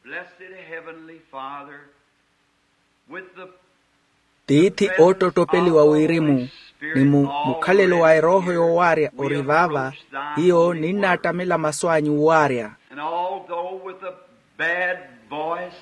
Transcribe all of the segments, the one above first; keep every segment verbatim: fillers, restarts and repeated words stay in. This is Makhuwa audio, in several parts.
Blessed Heavenly Father, with the tiithi oottottopeliwa wirimu, ni mu mukhalelo wa erooho yoowaarya ori vaava, hiyo ninnaattamela masu anyu owaarya. And although with a bad voice,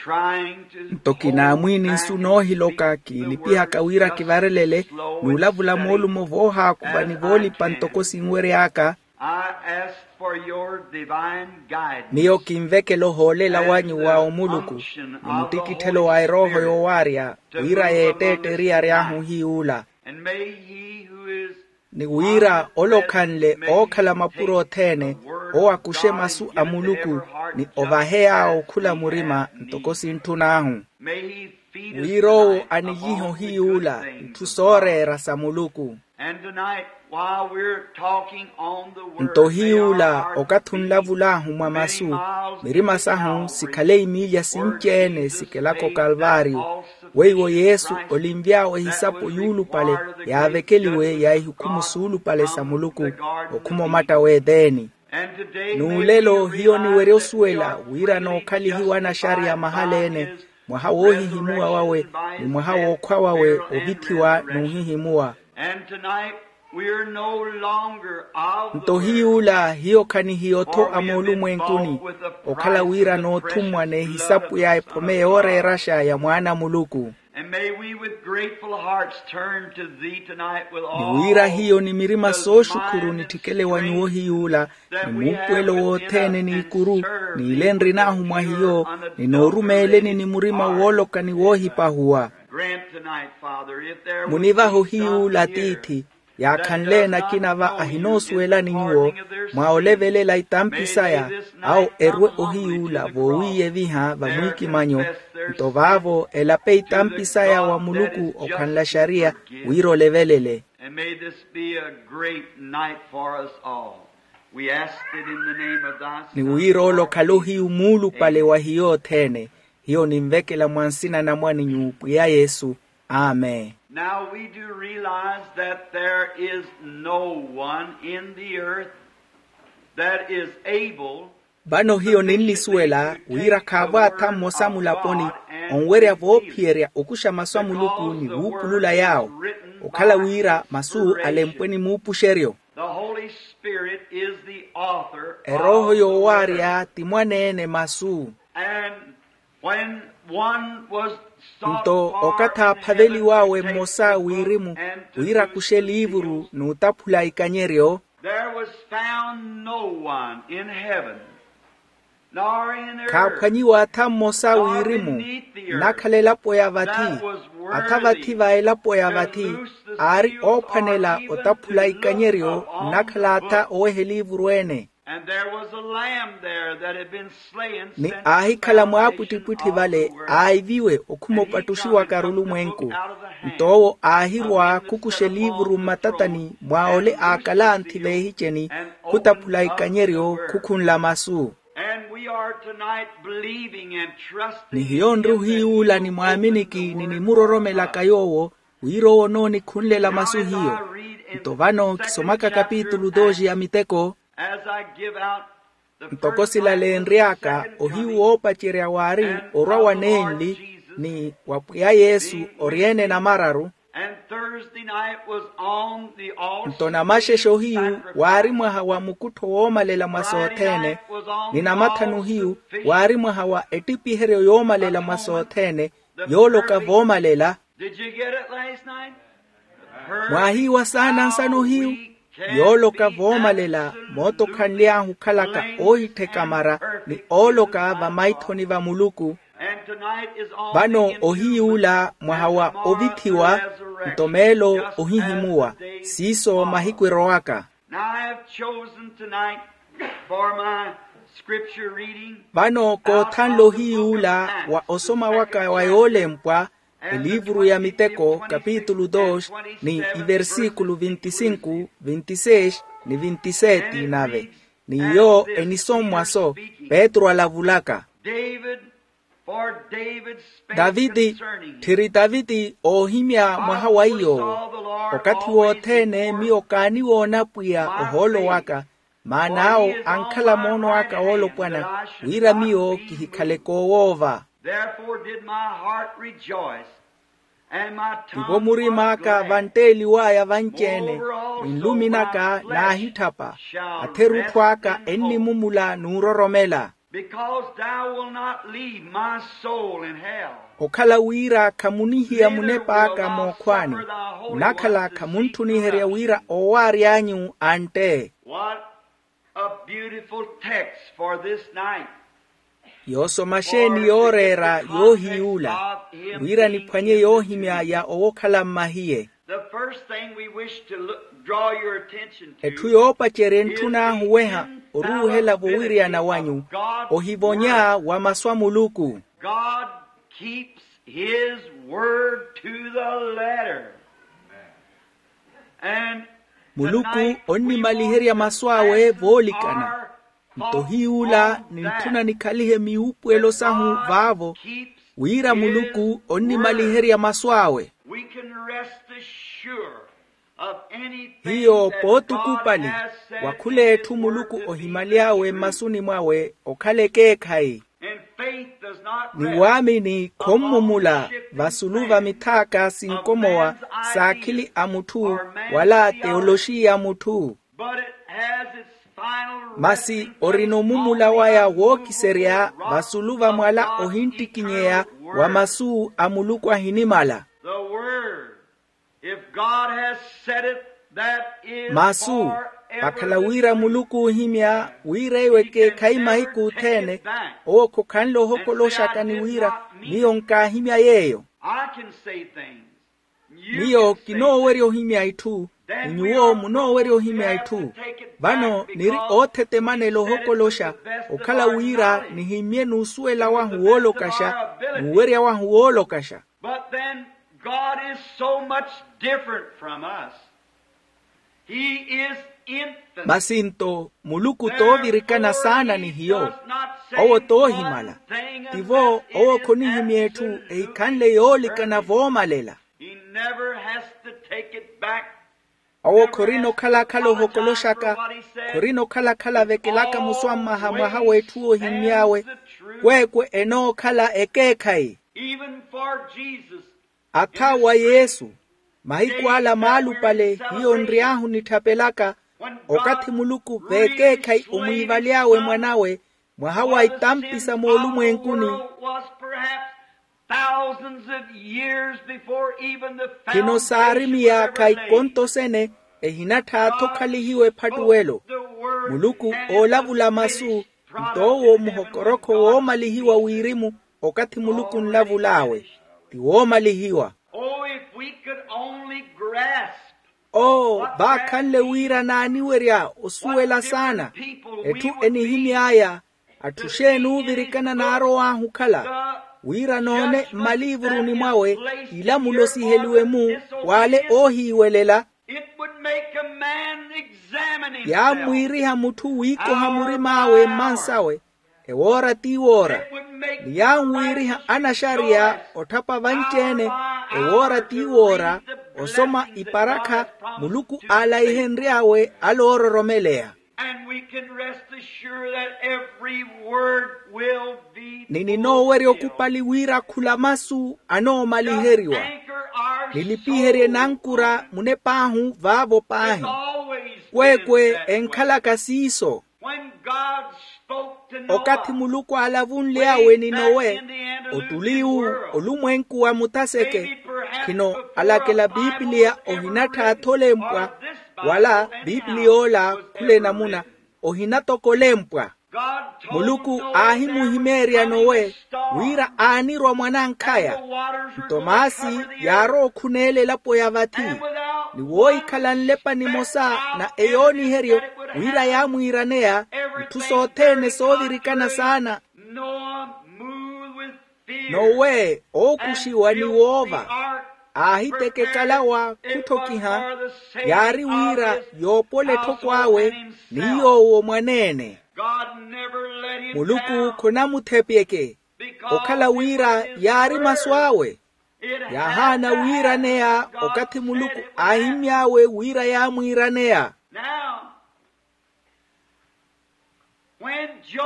trying to nto kinaamwiini nsu noohiloka kiilipihaka wira kivarelele, n'ulavula moolumo voohaakuva ni voolipa ntoko sinwery'aka. I ask for your divine guidance. Miyo kinvekela ohoolela wanyu wa omuluku, ni mutikitthelo wa erooho yoowaarya, wira yeetteetteriya ary'ahu hiy'ula. And may he who is ni wira ole okhanle ookhala mapuro othene, owo akuxe masu a muluku, ni ovahe yaawo khula murima ntoko sintthun'ahu. Wira owo aniyihe ohiy'ula itthu sooreera sa muluku. And tonight, while we're talking on the word, nto hiy'ula okathi onlavul'ahu mwa masu, mirima sahu sikhale imiilya sinci-ene sikelaka okalvaariyo. Weiwo yesu olinvy'awe ehisapo yuulupale yaavekeliwe ya ihukhumu suulupale sa muluku, okhuma omatta w'eteeni. N'ulelo hiyo niwerya osuwela wira nookhalihiwa anaxariya mahala-ene, mwaha woohihimuwa wawe, ni mwaha wookhwa wawe ovithiwa n'uhihimuwa. Nto hiy'ula hiyo khanihiyo-tho a moolumwenkuni, okhala wira noothummwa n'ehisapu ya ephome yooreeraxa ya mwaana a muluku. Ni wira hiyo ni mirima sooxukhuru nitthikele wa nyuwo hiy'ula, ni muupuwelo wothene n'ikuru, n'ile nrin'ahu mwa hiyo, ni noorumeeleni ni murima wooloka ni woohipahuwa. Munivahe ohiy'ula tiithi, yaakhanle-ene akina va ahinoosuwelani nyuwo, mwa olevelela itampi saya, awo erwe ohiy'ula voowiiyeviha vamwiikimanyo. Nto vaavo elape itampi saya wa muluku okhanla xariya, wira olevelele. And may this be a great night for us all. We ask it in the name of thy ni son, wira ole okhale ohiyu muulupale wa hiyo othene. Hiyo ninvekela mwa nsina na mwaninyu pwiya yesu. Amen. Now we do realize that there is no one in the earth that is able. Vano hiyo ninnisuwela wira khaavo atha mmosa mulaponi onwerya voophiyerya okuxa masu a muluku ni wuupulula yaawo, okhala wira masu alempwe ni muupuxeryo. The Holy Spirit is the author. Erooho yoowaarya ti mwaneene masu. And when one was sought nto for okathi in heaven aaphaveliwawe to take mmosa a the book wirimu and to wira do akuxe the liivuru seals, n'utaphula ikanyeryo. There was found no one in heaven, nor in earth, khaaphwanyiwa atha mmosa a wirimu nnakhala elapo ya vathi, atha vathi va elapo ya vathi aari oophwanela otaphula ikanyeryo nnakhala atha oweha eliivuru ene. And there was a lamb there that had been slain. Ni aahikhala mwaapwittipwitthi vale aaiviwe okhuma opattuxiwaka arulumwenku. Nto owo aahirwa khukuxa eliivuru mmatatani mwa ole aakalanthi veehiceni khutaphula ikanyeryo khukhunla masu. And we are tonight believing and trusting ni hiyo nri ohiyuula ni mwaaminiki ni nimuroromelaka yoowo wira owo onoonikhunlela masu hiyo. Nto vano kisomaka kapitulu doxi ya miteko. As I give out the ntoko first silale nry'aka ohiyu woopacerya waari orwa wa neenli ni wa pwiya yesu oryeene namararu. And Thursday night was on the all nto namaxexe ohiyu waari mwaha wa mukuttho woomalela mwa sothene. Ni namathanu ohiyu waari mwaha wa ettipiheryo yoomalela mwa sothene yooloka voomalela. Did you get it last night? Mwaahiiwa saana nsana ohiyu yooloka voomalela moota okhanly'ahu okhalaka oohittheka mara ni ooloka vamaithoni va muluku. Vano ohiyuula mwaha wa ovithiwa nto meelo ohihimuwa siiso mahiku erowaka. Now I have chosen tonight for my scripture reading. Vano koothanle ohiyuula wa osoma waka wa yoolempwa eliivuru ya miteko kapitulu dos ni iversikulu vinti sinku vinti seis ni vinti seti nave. Ni iyo enisommwa-so petru alavulaka. David daviti tthiri daviti oohimya mwaha wa iy'owo. Okathi wothene miyo kaaniwoona pwiya ohoolo waka. Maana awo ankhala moono aka woolopwana, wira miyo kihikhale koowoova. Therefore did my heart rejoice, and my tongue. Tivo murima aka vantteliwaya vanci-ene, ni nlumi naka naahitthapa. Atherutthu aka ennimumula n'uroromela. Because thou wilt not leave my soul in hell. Okhala wira khamunihiya munep'aka mookhwaani, nnakhala khamuntthuniherya wira oowaary'anyu antte. What a beautiful text for this night. Yoosoma xeeni yooreera yoohiy'ula, wira niphwanye yoohimya ya owokhala mmahiye. The first thing we wish to look, draw your attention to. Etthu yoopacerya entthun'ahu weha oruuhela vowiryana wanyu, ohivonya wa masu a Muluku. God keeps his word to the letter. And muluku onnimaliherya masu awe voolikana. Nto hiy'ula nintthuna nikhalihe miwuupuwelo sahu vaavo, wira muluku onnimaliherya masu awe. We can rest assured of anything. Hiyo pootukuupali wa khul'etthu muluku ohimaly'awe mmasuni mwawe okhala ekeekhayi. Ni waamini khommumula vasulu va mithaaka sinkomowa s'akhili a mutthu wala teoloxiya a mutthu. Masi orina omumula waya wookiserya vasulu va mwala ohinttikinyeya wa masu a muluku ahinimala. Masu vakhala wira muluku oohimya wira eyo ekeekhayi mahiku othene, owo khokhanle ohokoloxaka ni wira miyo nkaahimya yeeyo. Miyo kinoowerya ohimya itthu, ni nyuwo munoowerya ohimya itthu. Vano niri oothetemanela ohokoloxa, okhala wira nihimmye n'usuwela wahu woolokaxa, n'uwerya wahu woolokaxa. But then God is so much different from us. He is infinite. Masi nto muluku toovirikana saana ni hiyo. Owo toohimala. Tivo owo khonihimya etthu ehikhanle yoolikana voomalela. He never has to take it back. Owo khorina okhala-khala ohokoloxaka, khorina okhala-khala avekelaka musu a mmaha mwaha w'etthu oohimmy'awe, kweekwe enookhala ekeekhayi. Even for Jesus, atha wa yesu, mahiku ala maalupale hiyo nry'ahu nitthapelaka, okathi muluku veekeekhayi omwiivaly'awe mwan'awe, mwaha wa itampisa moolumwenkuni. Khino saari miyaakha ikonto sene, ehinatthaatha okhalihiwa ephattuwelo. Muluku oolavula masu, nto owo muhokorokho woomalihiwa wirimu. Okathi muluku onlavul'awe, ti woomalihiwa. Oo vaakhanle wira naaniwerya osuwela saana. Etthu enihimy'aya, atthu xeeni oovirikana naarow'ahu okhala, wira noone mmaliivuruni mwawe ilamulo siheliwe-mu w'ale oohiiwelela. Yaamwiiriha mutthu wiikoha murim'awe mmansawe, ewoora ti woora. Ni yaanwiiriha anaxariya otthapa vanci-ene, ewoora ti woora, osoma iparakha muluku aalaihenry'awe ale oororomeleya. Ni ninoowerya okupali wira khula masu anoomaliheriwa. Nilipiherye nankura munep'ahu vaavo paahi, kweekwe enkhalaka siiso. Okathi muluku aalavunly'awe ni nowe, ottuli iwu, olumwenku wa muthaseke. Khino alakela pipiliya ohinatthaatha olempwa, wala pipiliy'ola khula enamuna ohinatoka olempwa. Muluku aahimuhimeerya nowe wira aanirwa mwanankhaya. Nto maasi yaarowa okhunela elapo ya vathi, ni woohikhala nlepa nimosa na eyooniheryo wira yaamwiiraneya itthu sothene soovirikana saana. Nowe ookuxiwa ni woova, aahiteka ekalawa khutthokiha, yaari wira yoopola etthoko awe ni yoowo mwaneene. Muluku khonamuthepyeke, okhala wira yaari masu awe. Yaahaana wiiraneya okathi muluku aahimmy'awe wira yaamwiiraneya.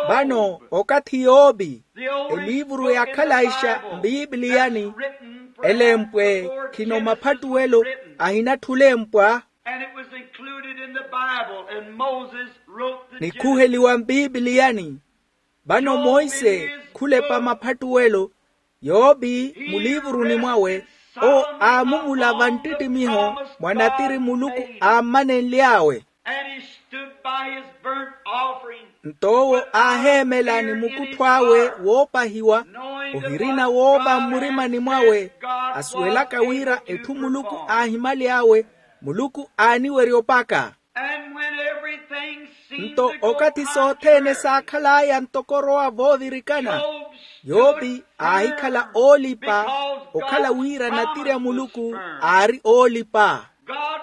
Vano okathi yoopi eliivuru yaakhalaixa mpiipiliyani elempwe khino maphattuwelo ahinatthulempwa. And it was included in the Bible, and Moses wrote the Genesis. Nikhuheliwa mpiipiliyani. Vano monse khulepa maphattuwelo yoopi muliivuruni mwawe owo aamumula vanttittimiho mwa natiri muluku aammanenly'awe. And he stood by his burnt offering. Nto owo aaheemela ni mukuttho awe woopahiwa ohirina woova mmurimani mwawe asuwelaka wira etthu muluku aahimaly'awe muluku aaniwerya opaka. And when everything seemed to go contrary, nto okathi sothene saakhal'aya ntoko orowa voovirikana yoopi aahikhala oolipa okhala wira natiri a muluku aari oolipa. God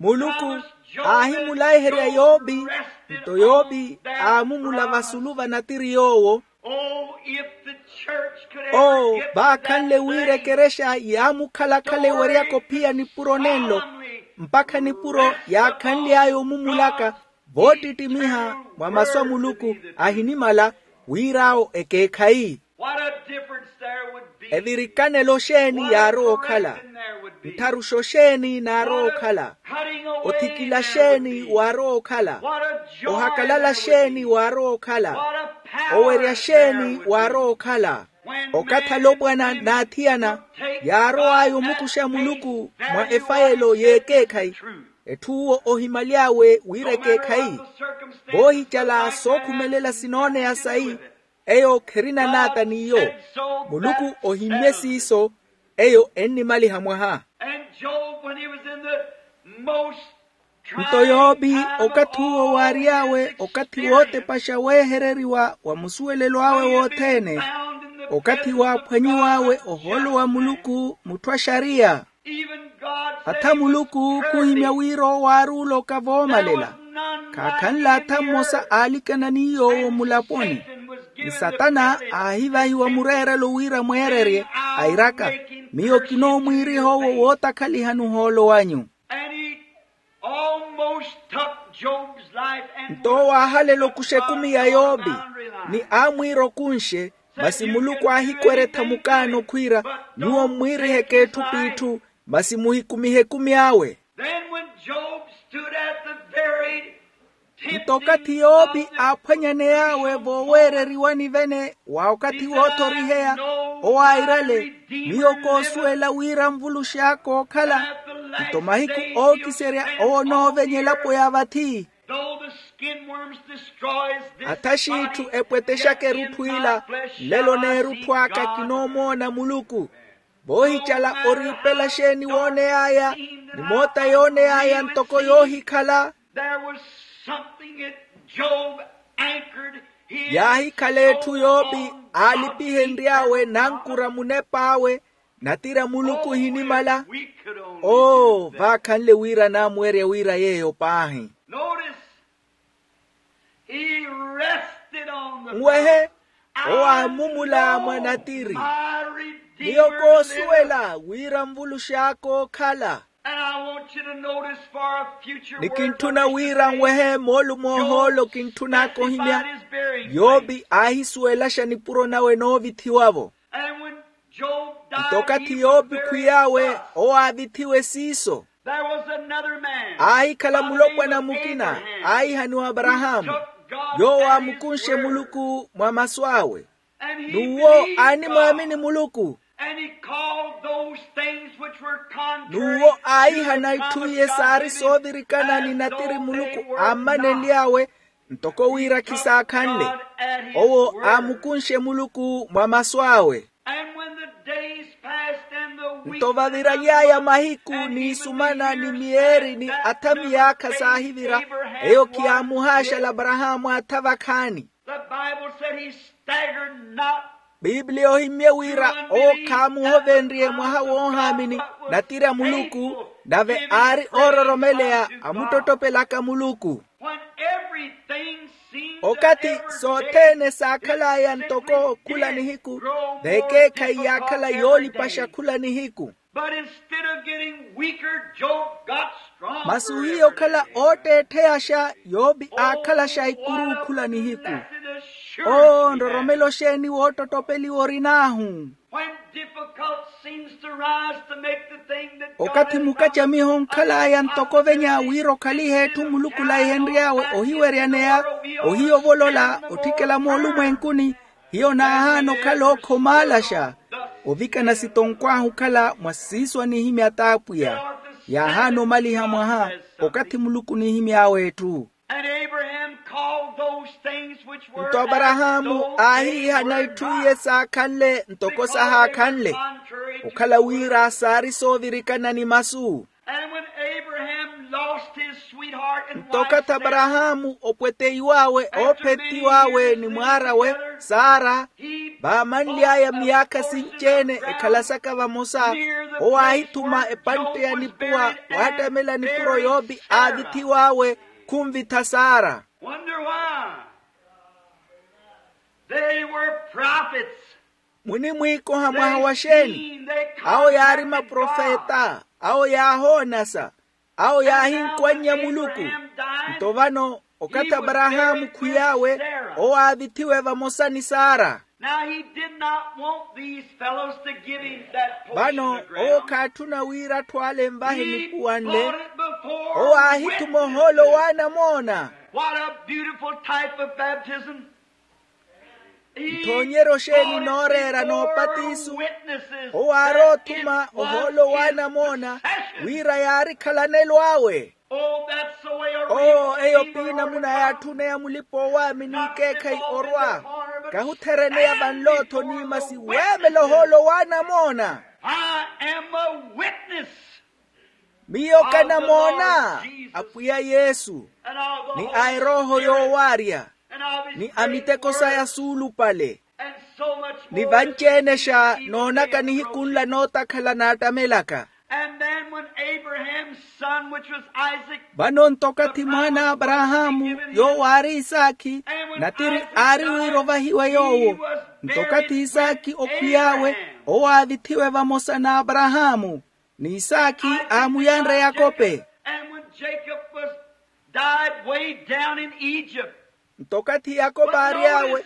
muluku aahimulaiherya yoopi nto yoopi aamumula vasulu va natiri yoowo. Oh, if the church could ever get that thing. Oo vaakhanle wira ekerexa yaamukhala-khala eweryaka ophiya nipuro nenlo mpakha nipuro yaakhanly'aya omumulaka voottittimiha mwa masu a muluku ahinimala wir'awo ekeekhayi. What a difference there would be. Evirikanelo xeeni yaarowa okhala? Nttharuxo xeeni naarowa okhala? Othikila xeeni waarowa okhala? Ohakalala xeeni waarowa okhala? Owerya xeeni waarowa okhala? Okathi alopwana n'athiyana yaarow'aya omukuxa muluku mwa efayelo y'ekeekhayi etth'uwo ohimaly'awe wira ekeekhayi voohicala sookhumelela sinooneya sayi eyo kherina naata n'iyo. Muluku ohimmye siiso eyo ennimaliha mwaha. And Job, when he was in the most nto yoopi okathi uwo waary'awe okathi wootepaxa weehereriwa wa musuwelelo awe wothene okathi waaphwanyiw'awe ohoolo wa muluku mutthu a xariya. Even God said he was cursed. Atha muluku khuhimya wira owo aari oloka voomalela khaakhanle atha mmosa aalikana ni yoowo mulaponi. Ni satana aahivahiwa mureerelo wira mweererye airaka miyo kinoomwiiriha owo wootakhalihani ohoolo wanyu. And he almost took Job's life and nto owo aahalela okuxa ekumi ya yoopi ni aamwiira okunxe. Masi muluku aahikweretha mukaano khwiira nyuwo mmwiiriheke etthu p'itthu masi muhikumihe ekumi awe. Then when Job stood at the very nto okathi yoopi aaphwanyaney'awe vooweereriwani vene wa okathi woothoriheya owo airale miyo koosuwela wira nvulux'aka ookhala nto mahiku ookiserya owo onoovenya elapo ya vathi. Though the skin worms destroys this atha xiitthu body, epwetexaka yet in erutthw'ila my flesh nlelo shall I see n'erutthu aka God. Kinoomoona muluku voohicala oriipela xeeni wooney'aya ni moota yooney'aya ntoko yoohikhala. There was something that Job anchored his yaahikhala etthu soul yoopi on top aalipihenry'awe of the nankura munep'awe natira muluku ohinimala. We could only oo do that. Vaakhanle wira naamuwerya wira yeeyo paahi. Notice, he rested on the nwehe owaamumula mwa natiri. Miyo koosuwela wira nvulux'aka ookhala. And I want you to notice for a future ni kinttuna wira nwehe moolumo ohoolo kintthunaaka ohimya yoopi aahisuwelaxa nipuro nawe noovithiwa-vo. And when Job died, nto okathi yoopi khwiy'awe owaavithiwe siiso. There was another man aahikhala mulopwana mukina aahihaniwa aparahaamu yoowo aamukunxe muluku mwa masu awe. N'uwo aanimwaamini muluku. And he called those things which were contrary n'uwo aahihana itthu iye saari soovirikana ni natiri muluku aammanenly'awe ntoko wira khisaakhanle. Owo aamukunxe muluku mwa masu awe. And when the days passed and the weeks nto vaviraly'aya mahiku n'isumana ni miyeeri ni atha miyaakha saahivira eyo khiyaamuhaaxala aparahaamu atha vakhaani. The Bible said he staggered not. Piipiliya ohimmye wira owo khaamuhovenrye mwaha woohaamini natiri a muluku nave aari oororomeleya amuttottopelaka muluku. When everything seemed okathi sothene saakhal'aya ntoko khula nihiku veekeekhayi yaakhala yoolipaxa khula nihiku. But instead of getting weaker, Job got stronger. Masi ohiya okhala ootteettheyaxa, yopi aakhalaxa ikuru okhula nihiku. Oo nroromelo xeeni woottottopeliwa orin'ahu? When difficult seems to rise to make the thing that God okathi has mukacamiho onkhal'aya ntoko ovenya wira okhalihe etthu muluku olaihenry'awe ohiweryaneya, ohiyo ovolola otthikela moolumwenkuni. Hiyo naahaana okhala ookhomaalaxa ovikana sitonkw'ahu okhala mwa siiso anihimya t'apwiya. Yaahaana omaliha mwaha okathi muluku onihimy'awe etthu. And Abraham called those things which were nto aparahaamu aahiihana itthu iye saakhanle ntoko sahaakhanle okhala wira saari soovirikana ni masu. And when Abraham lost his sweetheart and nto okathi aparahaamu opweteiw'awe oophettiw'awe ni mwaar'awe sara, vaamanly'aya myaakha sinci-ene ekhalasaka vamosa, owo aahithuma epantte ya nipuwa waattamela nipuro yoopi aavithiw'awe khunvitha sara. Wonder why? They were prophets. Munimwiikoha mwaha wa xeeni? Awo yaari maprofeta, awo yaahoonasa, awo yaahinkwannya muluku. Nto vano okathi aparahaamu khwiy'awe owo aavithiwe vamosa ni sara. Now he did not want these fellows to give him that portion of ground. Vano owo khaatthuna wira atthu ale envahe nipuwanle. Owo aahithuma ohoolo w'anamoona. What a beautiful type of baptism. Nthoonyeryo xeeni nooreera n'opatiso? Owo aaroothuma ohoolo w'anamoona wira yaari khalanelo awe. Oo eyo pi namuna yaatthuna ya mulipa-oowaamini ikeekhayi orwa. Kahuthereneya vanlo-tho ni masi weemela ohoolo w'anamoona. Miyo kanamoona apwiya yesu, ni a erooho yoowaarya, ni a miteko saya suulupale. Ni vanci-enexa noonaka nihiku nla nootakhala naattamelaka. Vano ntokathi mwaana a aparahaamu yoowo aari isaakhi, natiri aari wira ovahiwe yoowo. Ntokathi isaakhi okhwiy'awe owo aavithiwe vamosa n'aparahaamu, ni isaakhi aamuyanre yakope. Nto okathi yakope aary'awe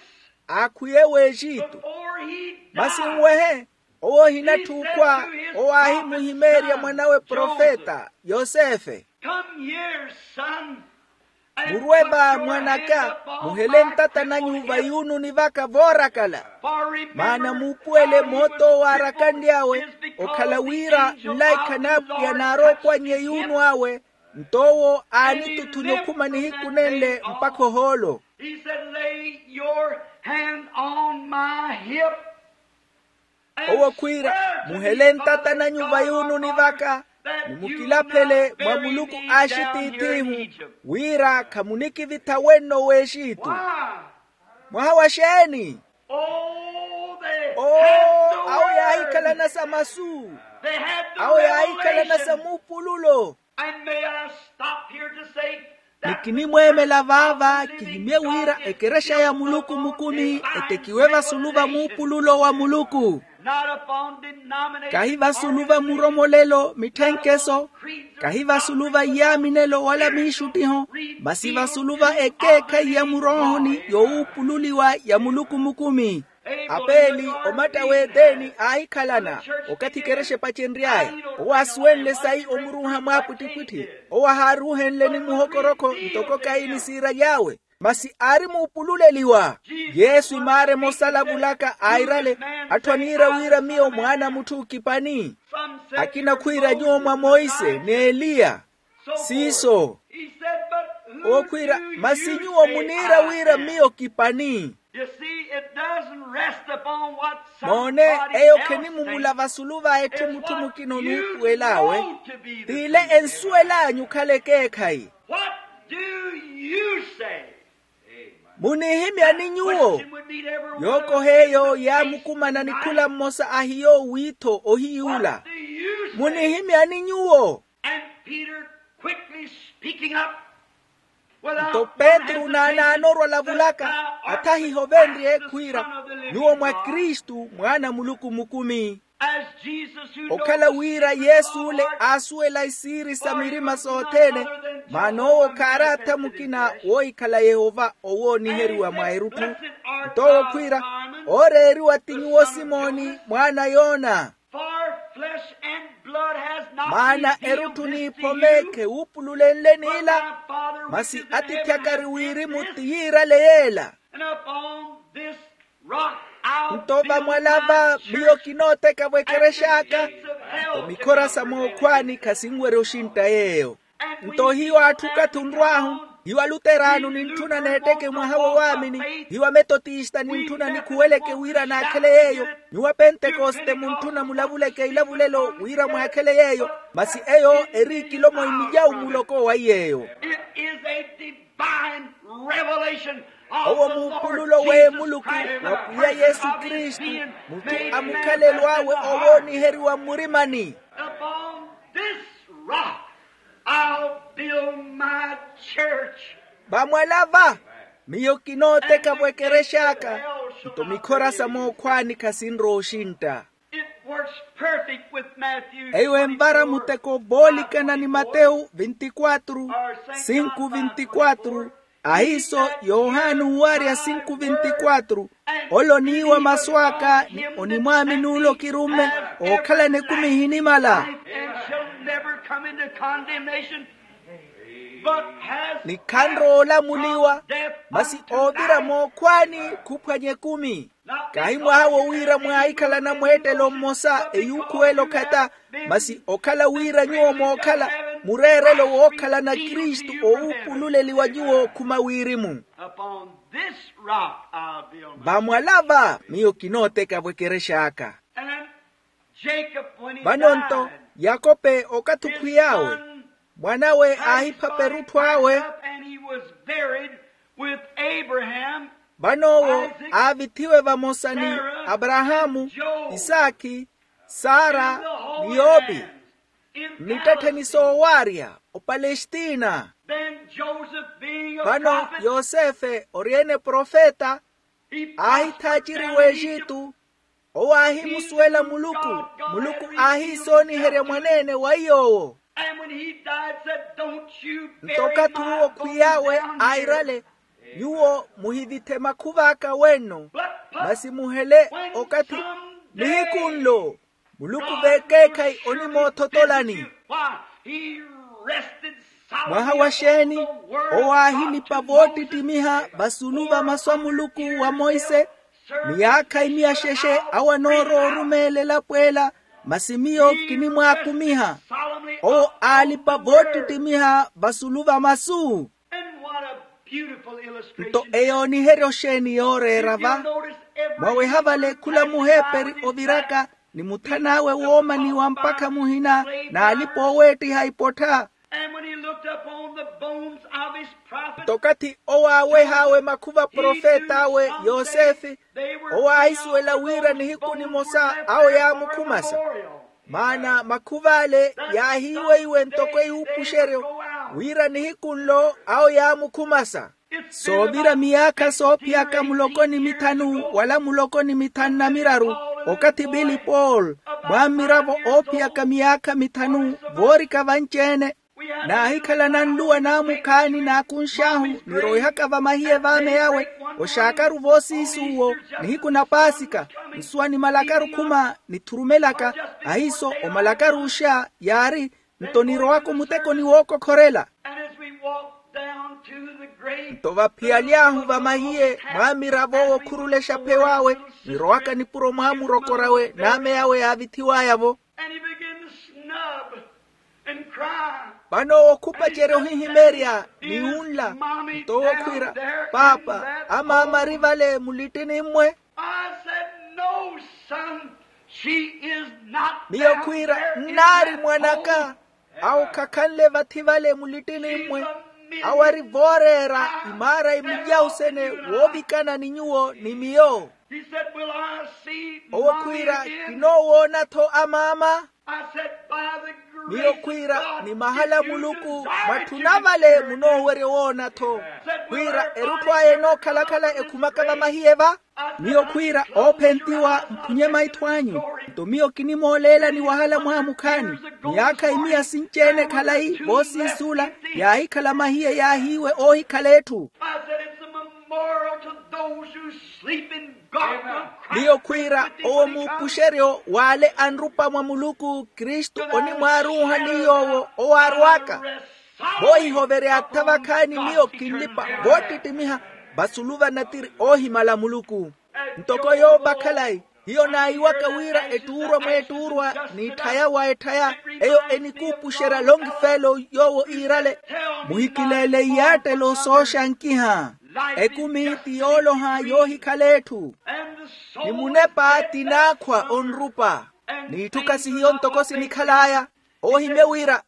aakhwiye w'exitu. Masi nwehe owo ohinatthuukhwa, owo aahimuhimeerya mwan'awe profeta yosefe. Murwe va mwan'aka, muhele ntata nanyu vayuununi vaka voorakala. Maana muupuwele moot'owo aarakanly'awe okhala wira nlaikha n'apwiya naarookwannya eyuunu awe. Nto owo aanituthunya okhuma nihiku nenle mpakha ohoolo. Owo khwiira, muhele ntata nanyu vayuununi vaka, ni mukilaphele mwa muluku a axitiith'ihu, wira khamunikivitha wenno w'exitu. Mwaha wa xeeni? Oo, awo yaahikhalana sa masu. Awo yaahikhalana sa muupululo. Ni kinimweemela vaava kihimye wira ekerexa ya muluku mukumi etekiwe vasulu va muupululo wa muluku. Kahi vasulu va muromolelo mitthenkeso, kahi vasulu va iyaaminelo wala miixuttiho, masi vasulu va ekeekhayi ya muroohoni yowuupululiwa ya muluku mukumi. Apeeli omatta w'eteeni aahikhalana okathi ekerexa epacenry'aya. Owo aasuwenle sayi omuruuha mwaapwittipwitthi. Owo ahaaruuhenle ni muhokorokho ntoko kayini siiraly'awe, masi aari muupululeliwa. Yesu imaara emosa alavulaka airale, atthu aniira wira miyo mwaana a mutthu kipani. Akina khwiira nyuwo mwa monse ni eliya. Siiso. Owo khwiira, masi nyuwo muniira wira miyo kipani. Moone, eyo khenimumula vasulu va etthu mutthu mukina onuupuwel'awe. T'ile ensuwel'anyu okhala ekeekhayi. Munihimyani nyuwo? Yookoha eyo yaamukumana ni khula mmosa ahiyo wiitho ohiyuula. Munihimyani nyuwo? Nto petru naanaana orwa olavulaka, athahiha ovenrye khwiira, nyuwo mwa kristu mwaana a muluku mukumi. Okhala wira yesu ole aasuwela isiiri sa mirima sothene, maana owo khaari atha mukina woohikhala yehova owooniheriwa mwa erutthu. Nto owo khwiira, ooreeriwa ti nyuwo simoni mwaana a yona. Maana erutthu n'iphome khewuupululenle n'ila, masi atiithi aka ari wirimu ti yiirale yeela. Nto vamwalava miyo kinootteka vwekerex'aka. Nto mikhora sa mookhwaani khasinwerya oxintta yeeyo. Nto hiyo atthu okathi onrw'ahu, hiyo aluteraano nintthuna neetteke mwaha wo waamini, hiyo ametotista nintthuna nikhuweleke wira naakhele yeeyo, nyuwo apentekoste muntthuna mulavuleke ilavulelo wira mwaakhele yeeyo. Masi eyo eri ikilomo imijawu muloko wa iy'eyo. Owo muupululo w'emuluku wa pwiya yesu kristu, mutthu amukhalelo awe owooniheriwa mmurimani. Upon this rock I'll build my church. Vamwalava miyo kinootteka vwekerex'aka, nto mikhora sa mookhwaani khasinrowa oxintta. It works perfect with Matthew. Eyo envara muteko voolikana ni matewu vintikwatru, sinku vintikwatru. Ahiiso yohani uwarya sinku vintikwatru, ole oniiwa masu aka ni onimwaamini ole okirumme, ookhalana ekumi ehinimala. And shall never come into condemnation, but has ni khanrowa olamuliwa, masi oovira mookhwaani khuphwanya ekumi. Kahi mwaha wo wira mwaahikhalana mweettelo mmosa eyuukhuwela okhata, masi okhala wira nyuwo mookhala mureerelo wookhalana kristu owuupululeliwa nyuwo khuma wirimu. Upon this rock I'll build my. Vamwalava miyo kinootteka vwekerex'aka. And Jacob, when he died, vano nto yakope okathi okhwiy'awe, mwan'awe aahiphapa erutthu awe. And he was buried with Abraham. Vano owo aavithiwe vamosa ni aparahaamu, isaakhi, sara, ni yoopi, mmittattheni soowarya opalestina. Vano yosefe ori-ene profeta, aahithaaciri w'exitu. Owo aahimusuwela muluku, muluku aahiisooniherya mwaneene wa iy'owo. Nto okathi uwo khwiy'awe airale, nyuwo muhivithe makhuv'aka wenno, masi muhele okathi nihiku nlo muluku vekeekhayi onimoothotolani. Mwaha wa xeeni? Owo aahilipa voottittimiha vasulu va masu a muluku wa monse, miyaakha imiya xexe awo anoorowa orumeela elapo ela, masi miyo kinimwaakumiha. Owo aalipa voottittimiha vasulu va masu. Nto eyooniherya oxeeni yooreera va? Mwaweha vale khula muheeperi oviraka ni muthan'awe woomaniwa mpakha muhina n'alipa ooweettiha ipottha. Nto okathi owo aaweh'awe makhuva a profet'awe yosefe, owo aahisuwela wira nihiku nimosa awo yaamukhumasa. Maana makhuv'ale yaahiiweiwe ntoko eyuupuxeryo, wira nihiku nlo awo yaamukhumasa. Soovira miyaakha soophiyaka muloko ni mithanu wala muloko ni mithanu na miraru, okathi pili paul, mwammiravo oophiyaka miyaakha mithanu, voorika vanci-ene. Naahikhala nanluwa naamukhaani naakunx'ahu, nirowihaka vamahiye v'ame yawe, oxaakaru voosiisi uwo, nihiku na paasika, nsuwa nimalakaru khuma nithurumelaka. Ahiiso omalakaru oxa yaari, nto nirowaka omutekoni wookokhorela. Nto vaphiyaly'ahu vamahiye mwammiravo wookhurula exapheyo awe, nirowaka nipuro mwaamurokor'awe n'ame awe yaavithiw'aya-vo. Vano owo khupacerya ohihimeerya ni wunla. Nto owo khwiira, paapa, amaama ari vale mulittini-mmwe. Miyo khwiira, nnaari mwan'aka. Awo khakhanle vathi vale mulittini-mmwe. Awo ari vooreera imaara emijausene woovikana ni nyuwo ni miyo. Owo khwiira, kinoowoona-tho amaama. Miyo khwiira ni mahala a muluku mwatthuna vale munoowerya owoona-tho. Khwiira erutthu aya enookhalakhala ekhumaka vamahiye va. Miyo khwiira oophentiwa mphunye maitho anyu. Nto miyo kinimooleelani wahala mwaha mukhaani. Miyaakha imiya sinci-ene khalayi voosiisuula yaahikhala mahiye yaahiiwe oohikhala etthu. I said it's a memorial to those who sleep in God. Miyo khwiira owo muupuxeryo w'ale anrupa mwa muluku kristu onimwaaruuha ni yoowo owaarw'aka. Voohihovereya atha vakhaani miyo kinlipa voottittimiha vasulu vanatiri oohimala muluku. Ntoko yoopa khalayi hiyo naayiwaka wira ettuurwa mweettuurwa n'itthaya wa etthaya eyo enikuupuxerya lonki feelo yoowo iirale. Muhikileele iyaattelo sooxankiha. Ekumi ti yooloha yoohikhala etthu. Ni munepa ti naakhwa onrupa. N'itthu khasihiyo ntoko sinikhal'aya. Oohimye wira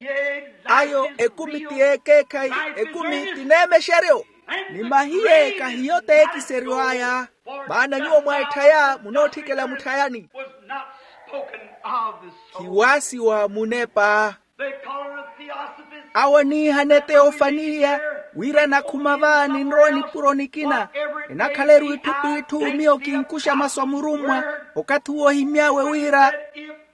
ayo ekumi ti ekeekhayi, ekumi ti neemexeryo. Ni mahiye kahiyo t'ekiseryo aya. Maana nyuwo mwa etthaya munootthikela mutthayani. Khiwaasiwa munepa. Awo aniihana eteofaniya wira anakhuma va ninrowa nipuro nikina. Enakhala eruitthu p'itthu miyo kinkuxa masu a murummwa. Okathi uwo ohimy'awe wira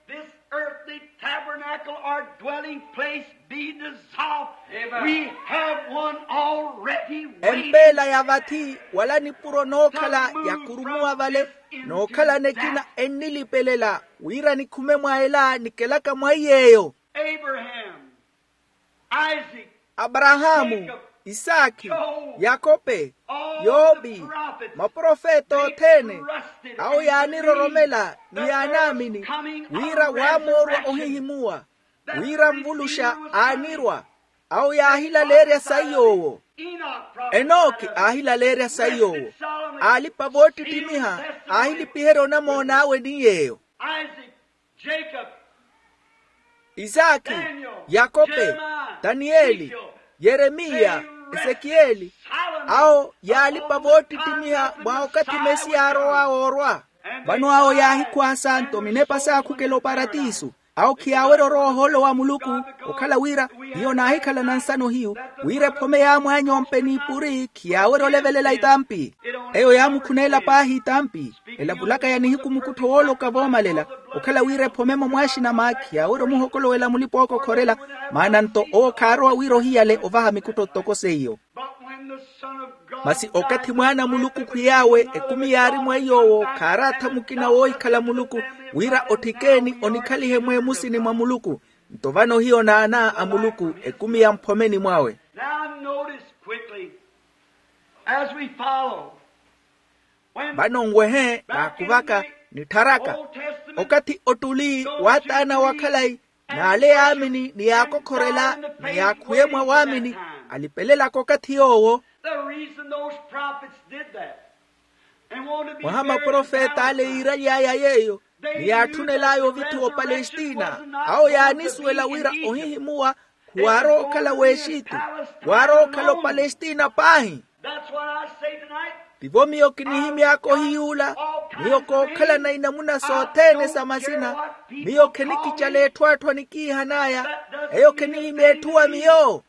this earthly tabernacle or dwelling place be dissolved. We have one already waiting. Empeela ya vathi wala nipuro nookhala yakurumuwa vale nookhala nekina ennilipelela wira nikhume mwa ela nikelaka mwa iy'eyo. Abraham, Isaac, aparahaamu, isaakhi, yakope, yoopi, maprofeta othene awo yaaniroromela ni yaanaamini wira waamoorwa ohihimuwa wira nvuluxa aanirwa. Awo yaahilaleerya sayi yoowo. Enooki aahilaleerya sayi yoowo. Aalipa voottittimiha aahilipiherya onamoon'awe ni yeeyo. Isaakhi, yakope, taniyeli, yeremiya, esekiyeli. Awo yaalipa voottittimiha mwa okathi mesiya aarowa oorwa. Vano awo yaahikhwaasa nto minepa saakhukela oparatiso. Awo khiyaawerya orowa ohoolo wa muluku. Okhala wira hiyo naahikhalana nsano hiyu wira ephome yaamwaany'ompe n'ipuri khiyaawerya olevelela itampi. Eyo yaamukhuneela paahi itampi. Elavulaka ya nihiku mukuttho wooloka voomalela. Okhala wira ephome-mo mwaaxinama khiyaawerya omuhokolowela mulipa ookokhorela. Maana nto owo khaarowa wira ohiyale ovaha mikuttho ttoko seiyo. Masi okathi mwaana a muluku khwiy'awe ekumi yaari mwa iy'owo khaaraatha mukina woohikhala muluku wira otthikeeni onikhalihe mweemusini mwa muluku. Nto vano hiyo naana a muluku ekumi ya mphomeni mwawe. Now notice quickly as we follow. Vano nwehe naakuvaka nittharaka okathi ottuli waataana wa khalayi n'ale yaamini ni yaakokhorela ni yaakhwiye mwa waamini alipelelaka okathi yoowo. Mwaha maprofeta ale yiiraly'aya yeeyo ni yaatthunel'aya ovithiwa opalestina awo yaanisuwela wira ohihimuwa khuwaarowa okhala w'exitu. Waarowa okhala opalestina paahi. Tivo miyo kinihimy'aka ohiyuula. Miyo kookhalana inamuna sothene sa masina. Miyo khenikicala etthu atthu anikiihan'aya. Eyo khenihimya etthu wa miyo.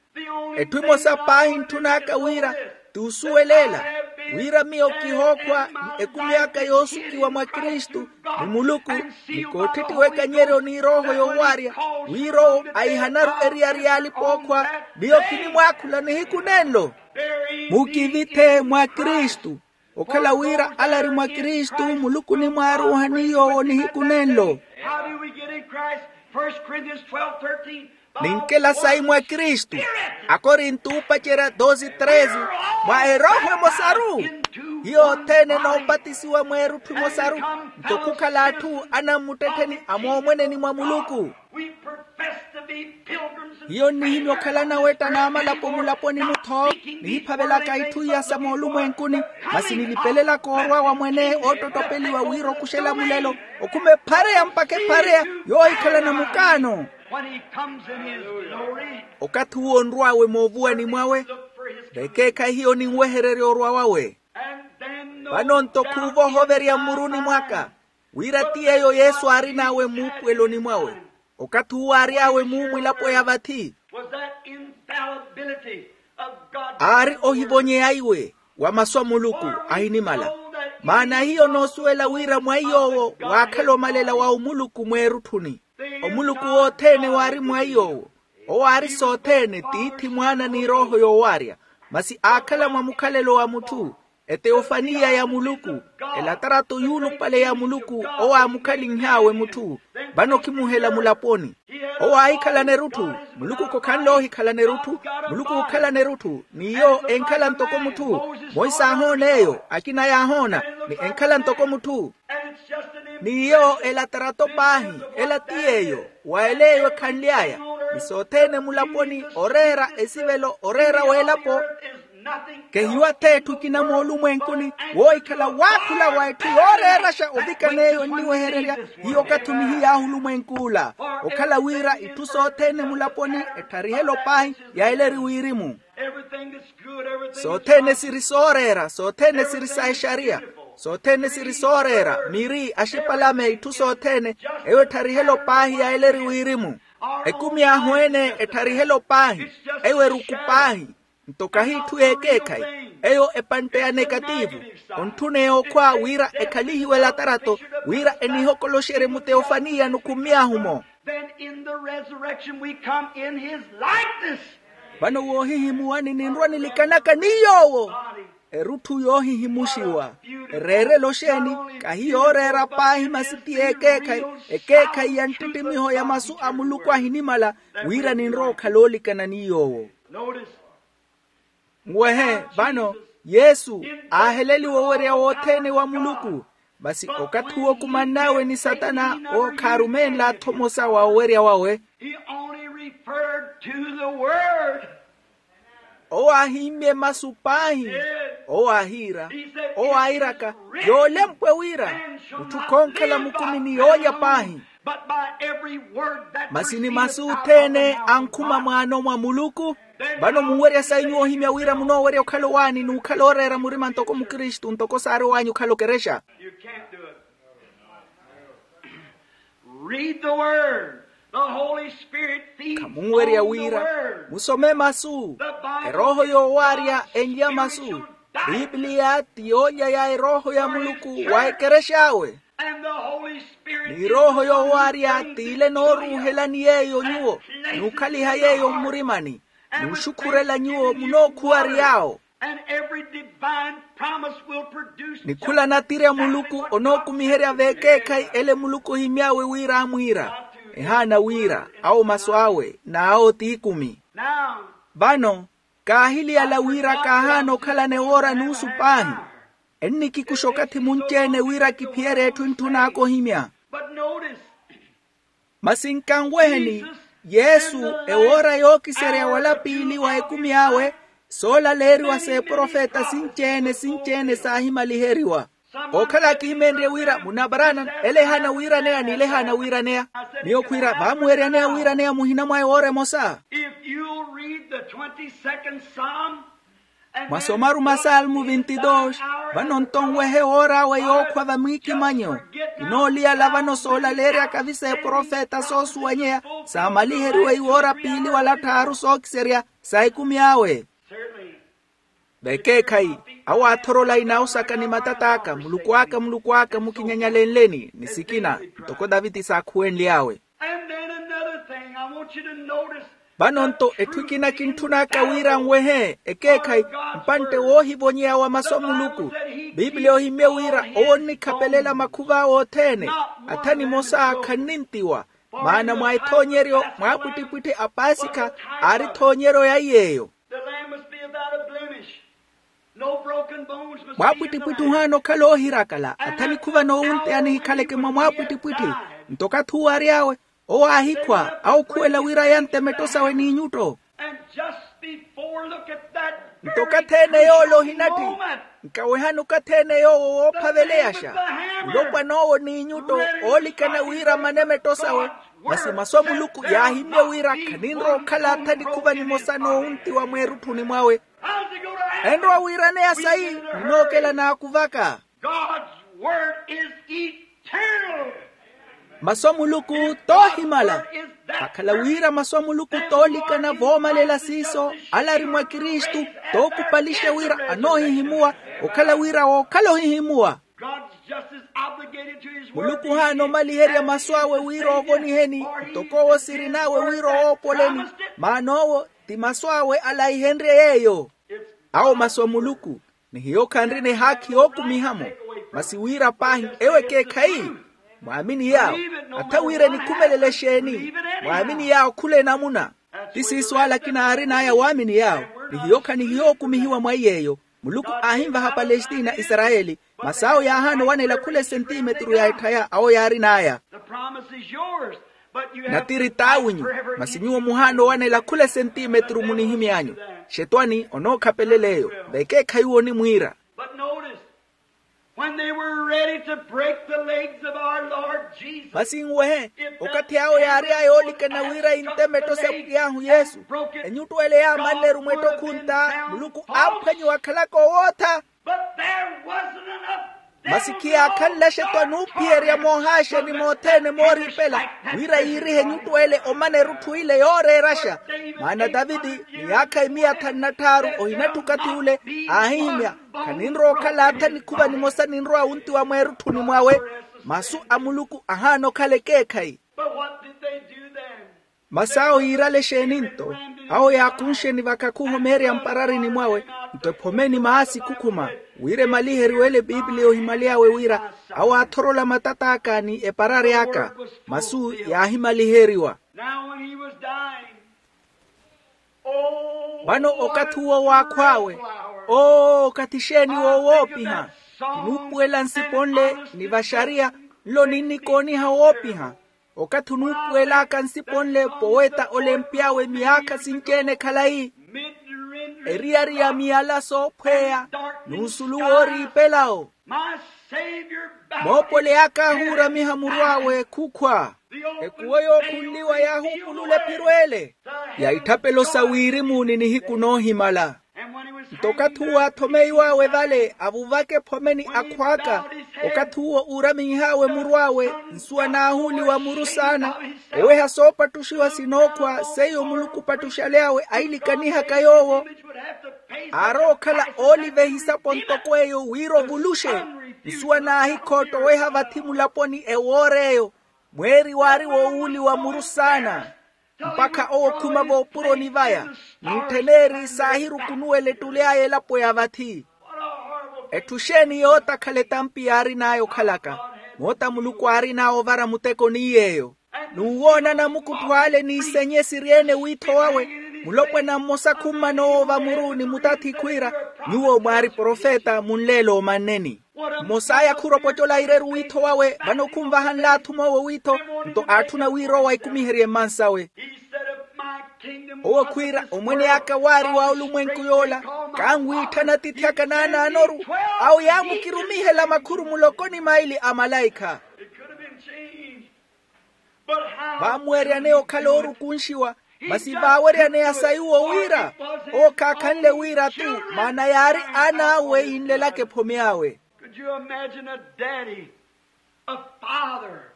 Etthu emosa paahi ntthun'aka wira t'usuwelela wira miyo kihookhwa ni ekumi aka yoosukiwa mwa kristu ni muluku ni kootthettiwa ekanyeryo ni erooho yowaarya wira owo aihanaru eriyari y'alipa ookhwa. Miyo kinimwaakhula nihiku nenlo mukivithe mwa kristu. Okhala wira alari mwa kristu muluku onimwaaruuha ni yoowo nihiku nenlo. How do we get in Christ? First Corinthians twelve thirteen. Ninkela sayi mwa kristu. Akorinto oopacerya doze treze. Mwa erooho emosaru hiyo othene enoopatisiwa mweerutthu emosaru. Nto khukhala atthu anammuttettheni a moomweneni mwa muluku. Hiyo nnihimya okhalana wetta n'amalapo mulaponi-mu-tho nihiphavelaka itthu iya sa moolumwenkuni. Masi nilipelelaka orwa wa mwene oottottopeliwa wira okuxela mulelo okhume ephareya mpakha ephareya yoohikhalana mukaano. Okathi uwo onrw'awe moovuwani mwawe vekeekhayi hiyo ninwehererya orwa wawe. Vano-nto khuuva ohoverya mmuruni mwaka wira ti yeeyo yesu aarin'awe muupuweloni mwawe. Okathi uwo aary'awe muumwilapo ya vathi. Aari ohivonyeya iwe wa masu a muluku ahinimala. Maana hiyo noosuwela wira mwa iy'owo waakhala omalela wa omuluku mweerutthuni. Omuluku wothene waari mwa iy'owo. Owo aari sothene, tiithi, mwaana ni erooho yoowarya. Masi aakhala mwa mukhalelo wa mutthu, eteyofaniya ya muluku, elatarato yuulupale ya muluku. Owo aamukhalinh'awe mutthu. Vano khimuhela mulaponi. Owo aahikhalana erutthu. Muluku khokhanle ohikhalana erutthu. Muluku ookhalana erutthu, n'iyo enkhala ntoko mutthu. Monse aahoona eyo, akina yaahoona, ni enkhala ntoko mutthu. N'iyo elatarato paahi. Ela ti yeeyo, wa ela eyo ekhanly'aya. Ni sothene mulaponi oreera esivelo oreera w'elapo. Kehiwa-tho etthu ekina moolumwenkuni, woohikhala waakhula wa etthu yooreeraxa ovikana eyo enniwehererya. Hiyo okathi onihiy'ahu olumwenk'ula, okhala wira itthu sothene mulaponi ettharihe-lo paahi ya ela eri wirimu. Sothene siri sooreera, sothene siri sa exariya, sothene siri sooreera, miri, axipalame, itthu sothene, eyo ettharihe-lo paahi ya ela eri wirimu. Ekumi ahu ene ettharihe-lo paahi, eyo eruku paahi. Nto kahi itthu y'ekeekhayi, eyo epantte ya nekativu. Ontthuna eyo okhwa wira ekhalihiwe elatarato, wira enihokoloxerye muteyofaniya nukhummy'ahu-mo. Then in the resurrection we come in his likeness. Vano woohihimuwani ninrwa nilikanaka ni yoowo. Erutthu yoohihimuxiwa. Ereerelo xeeni? Kahi yooreera paahi masi ti y'ekeekhayi, ekeekhayi ya nttittimiho ya masu a muluku ahinimala, wira ninrowa okhala oolikana ni yoowo. Nwehe, vano yesu aaheleliwa owerya wothene wa muluku. Masi okathi uwo okumann'awe ni satana, owo khaarumeenla-tho omosa wa owerya wawe. He only referred to the word. Owo aahimmye masu paahi. Owo aahiira, owo airaka, yoolempwe wira mutthu khonkhala mukumi ni yoolya paahi. But by every word that proceedeth out of the mouth of God. Masi ni masu othene ankhuma mwaano mwa muluku. Vano munwerya sayi nyuwo ohimya wira munoowerya okhala owaani n'ukhala ooreera murima ntoko mukristu ntoko saari ow'anyu okhala okerexa. You can't do it. Read the word. The Holy Spirit feeds on the word. Khamunwerya wira musome masu. Erooho yoowaarya enlya masu. Bibliya ti yoolya ya erooho ya muluku wa ekerex'awe. Ni erooho yoowaarya t'ile nooruuhelani yeeyo nyuwo, n'ukhaliha yeeyo mmurimani, n'uxukhurela nyuwo munookhuwary'awo. Ni khula natiri a muluku onookumiherya v'ekeekhayi ele muluku ohimy'awe wira amwiira. Ehaana wira awo masu awe n'awo t'ikumi. Vano kaahiliyala wira kaahaana okhalana ewoora nuusu paahi. Ennikikuxa okathi munci-ene wira kiphiyerye etthu entthun'aka ohimya. Masi nkanweheni, yesu ewoora yookiserya wala piili wa ekumi awe, soolaleeriwa s'eprofeta sinci-ene sinci-ene saahimaliheriwa. Ookhala akihimeenrye wira munabaraana ele ehaana wiiraneya n'ile ehaana wiiraneya. Miyo khwiira vaamuweryaneya wiiraneya muhina mwa ewoora emosa. If you'll read the twenty-second Psalm, mwasomaru masalmu vintidoox, vano nto nwehe woor'awe yookhwa vamwiikimanyo. Kinooliyala vano soolaleeryaka-vi s'eprofeta soosuwanyeya saamaliheriwe iwoora piili wala tthaaru sookiserya sa ekumi awe. V'ekeekhayi, awo aathorola inawo saka ni matat'aka, muluku aka muluku aka mukinyanyalenleni ni sikina, ntoko taviti saakhuwenly'awe. Vano nto etthu ekina kintthun'aka wira nwehe ekeekhayi, mpantte woohivonyeya wa masu a muluku. Pipiliya ohimmye wira owo onnikhapelela makhuv'awe othene. Atha nimosa khannintiwa. Maana mwa ethoonyeryo mwaapwittipwitthi a pasikha aari ethoonyeryo ya iy'eyo. Mwaapwittipwitthi ohaana okhala oohirakala atha nikhuva noowunteya nihikhaleke mwa mwaapwittipwitthi. Nto okathi uwo ary'awe, owo aahikhwa awo okhuwela wira yantte metto sawe n'inyutto. Nto okathi-ene yoola ohinatthi nkawehani okathi-ene yoowo woophaveleyaxa. Olopwan'owo n'inyutto oolikana wira amane metto sawe. Masi masu a muluku yaahimmye wira khaninrowa okhala atha nikhuva nimosa noowuntiwa mweerutthuni mwawe. Enrowa wiiraneya sayi? Ninookela naakuvaka. Masu a muluku toohimala. Akhala wira masu a muluku toolikana voomalela siiso, ala ari mwa kristu, tookupalixa wira anoohihimuwa, okhala wira wookhala ohihimuwa. God's justice obligated to his word. Muluku haana omaliherya masu awe wira oovoniheni, ntoko owo sirin'awe wira owoopoleni. Maana owo ti masu awe alaihenrye yeeyo. Awo masu a muluku, ni hiyo khanrina ehaakhi yookumiha-mo. Masi wira paahi ewo ekeekhayi, mwaamini yaawo. Atha wira enikhumelele exeeni, mwaamini yaawo khula enamuna. Ti siiso alakina aarin'aya waamini yaawo. Ni hiyo khanihiya ookumihiwa mwa iy'eyo. Muluku aahinvaha palestina isarayeli, masi awo yaahaana owanela khula esentimetru ya etthaya awo yaarin'aya. Natiri t'awinyu, masi nyuwo muhaana owanela khula esentimetru munihimy'anyu. Xetwani onookhapelela eyo. Vekeekhayi onimwiira. But notice, when they were ready to break the legs of our Lord Jesus, masi nwehe, okathi awo yaary'aya oolikana wira yinteme etto sa pwiy'ahu yesu, enyuttu ele yaamanneru mw'ettokhu ntta, muluku aaphwanyiwa akhalaka owootha. But there wasn't enough. Masi khiyaakhanlaxe-tho anuuphiyerya moohaaxeni mothene mooriipela, wira yiirihe enyuttu ele omana erutthu ile yooreeraxa. Maana taviti miyaakha imiya thanu na tthaaru ohinatthi okathi ule, aahihimya, khaninrowa okhala atha nikhuva nimosa ninrowa wuntiwa mweerutthuni mwawe. Masu a muluku ahaana okhala ekeekhayi. But what did they do then? Masi awo yiirale exeeni nto? Awo yaakunxeni vakakhuho meerya mpararini mwawe, nto ephomeni maasi khukhuma, wira emaliheriwele epiipiliya ohimaly'awe wira, awo aathorola matat'aka ni eparari aka. Masu yaahimaliheriwa. Now when he was dying, oh, vano okathi uwo waakhw'awe, oo okathi exeeni wo woopiha. Kinuupuwela nsipo nle ni vaxariya, nlo ninnikooniha woopiha. Okathi onuupuwel'aka nsipo nle poweta olempy'awe miyaakha sinci-ene khalayi, eriyari ya miyala soophweya, n'usulu wooriipela-wo. Moopoli aka aahuuramiha muru awe khukhwa. Ekuwo yookhunliwa yaahuupulula ephiro ele, ya itthapelo sa wirimu ni nihiku noohimala. Nto okathi uwo aathomeiw'awe vale avuvaka ephomeni akhw'aka, okathi uwo uuraminh'awe muru awe, nsuwa naahuuliwa muru saana, oweha soopattuxiwa sinookhwa seiyo muluku opattuxaly'awe ailikanihaka yoowo. Aarowa okhala ooliva ehisapo ntoko eyo wira ovuluxe. Nsuwa naahikhootta oweha vathi mulaponi ewoora eyo, mweeri waari woowuuliwa muru saana, mpakha owo okhuma voopuroni vaya, n'ittheneeri saahirukunuwela ettuli aya elapo ya vathi. Etthu exeeni yootakhala etampi yaarin'aya okhalaka? Moota muluku aarin'awe ovara muteko ni yeeyo. N'uwoona anamukuttho ale n'isenye siri-ene wiitho wawe. Mulopwana mmosa khummana owo vamuru ni mutathi khwiira, nyuwo mwaari profeta munleela omanneni. Mmos'aya khuropocola ireru wiitho wawe vano khunvahanle athum'owo wiitho. Nto aatthuna wira owo aikumiherye mmansawe. Owo khwiira omwene aka waari wa olumwenku yoola, kanwiitthana atiithi aka naanaanoru. Awo yaamukirumihela makhuru muloko ni maili a malaikha. Vaamuwerya neyo okhala oorukunxiwa, masi vaawerya neya sayuwo wira owo khaakhanle wira tu, maana yaari aan'awe yinlelaka ephome awe. Could you imagine a daddy, a father,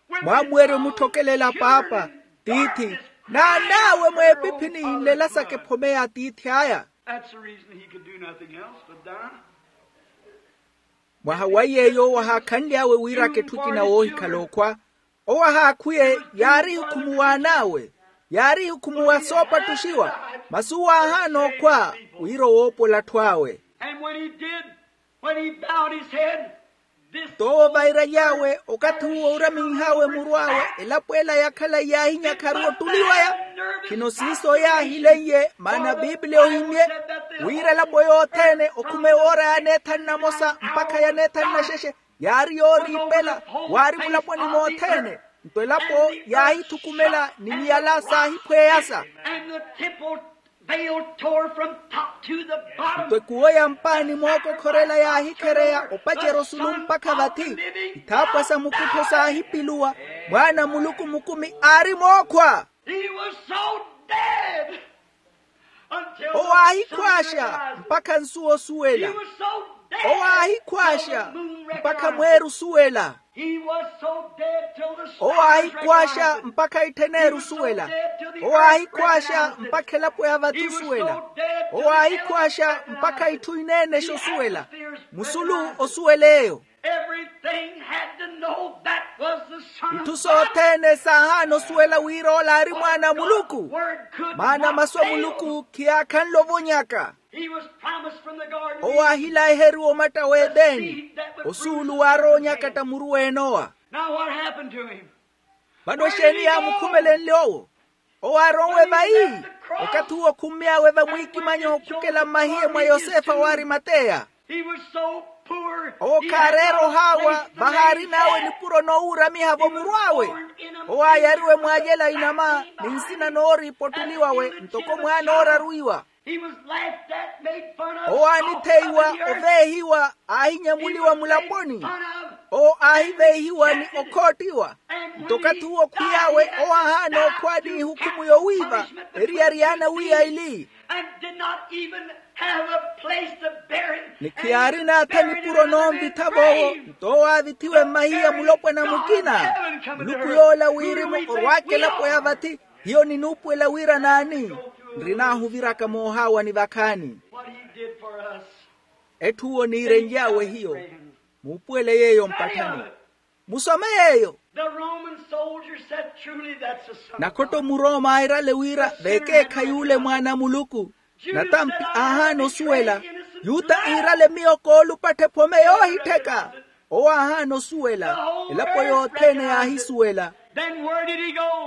with his own children in darkness, crying out to the Lord? Mwaamuwerya omutthokelela paapa, tiithi, n'an'awe mweepiphini yinlelasaka ephome y'atiithi aya. That's the reason he could do nothing else but die. Mwaha wa yeeyo owo ahaakhanly'awe wira aketthukina woohikhala okhwa. Owo ahaakhwiye yaari ehikhumuwa an'awe, yaari ehikhumuwa soopattuxiwa, masi owo aahaana okhwa wira owoopola atthu awe. And when he did, when he bowed his head, this thought occurred. Toowo vairaly'awe okathi uwo uuraminh'awe muru awe, elapo ela ya khalayi yaahinyakharu ottuli waya. Khino siiso yaahileiye, maana bibiliya ohimye wira elapo yothene okhuma ewoora ya neethanu na mosa mpakha ya neethanu na xexe, yaari yooriipela, waari mulaponi mothene. Nto elapo yaahithukumela ni miyala saahiphweyasa. And the temple veil tore from top to the bottom. Nto ekuwo ya mpaani mookokhorela yaahikhereya opacerya osulu mpakha vathi. Ithaapwa sa mukuttho saahipiluwa, mwaana a muluku mukumi aari mookhwa. He was so dead until the sun realized. Owo aahikhwaaxa mpakha nsuwa osuwela. He was so dead. Owo aahikhwaaxa mpakha mweeri osuwela. He was so dead till the stars recognize it. Owo aahikhwaaxa mpakha ittheneeri osuwela. Owo aahikhwaaxa mpakha elapo ya vathi osuwela. Owo aahikhwaaxa mpakha itthu ineenexa osuwela. Musulu osuwela eyo. Everything had to know that was the Son of God. Itthu sothene saahaana osuwela wira ola aari mwaana a muluku. Maana masu a muluku khiyaakhanle ovonyaka. He was promised from the garden. Owo aahilaheriwa omatta w'edeni. Osuulu waarowa onyakatta muru w'enowa. Now what happened to him? Vano exeeni yaamukhumelenle owo? Owo aaronwe vayi? Okathi uwo okhummy'awe vamwiikimanyi okhukela mmahiye mwa yosefa w'arimateya. Owo khaareera ohaawa vahaarin'awe nipuro noowuuramiha-vo muru awe. Owo aayariwe mwaacela inama ni nsina nooriipottuliwawe ntoko mwaana ooraruwiwa. Owo aanitheiwa, oveehiwa, aahinyemuliwa mulaponi. Owo aahiveehiwa ni okhoottiwa. Nto okathi uwo khwiy'awe owo aahaana okhwaani ihukhumu yowiiva eriyari yaana wiiya ili. Ni khiyaari naatha nipuro noonvitha-vo owo. Nto owo aavithiwe mmahiya mulopwana mukina. Muluku yoola wirimu orwaaka elapo ya vathi. Hiyo ninuupuwela wira naani? Nrinaahuviraka moohaawani vakhaani. Etthu owo niirenly'awe hiyo. Muupuwele yeeyo mpatthani. Musome yeeyo. Nakhotto muroma aairale wira vekeekhayi ule mwaana a muluku. Natampi aahaana osuwela. Yuta iirale miyo koolupattha ephome yoohittheka. Owo aahaana osuwela. Elapo yothene yaahisuwela.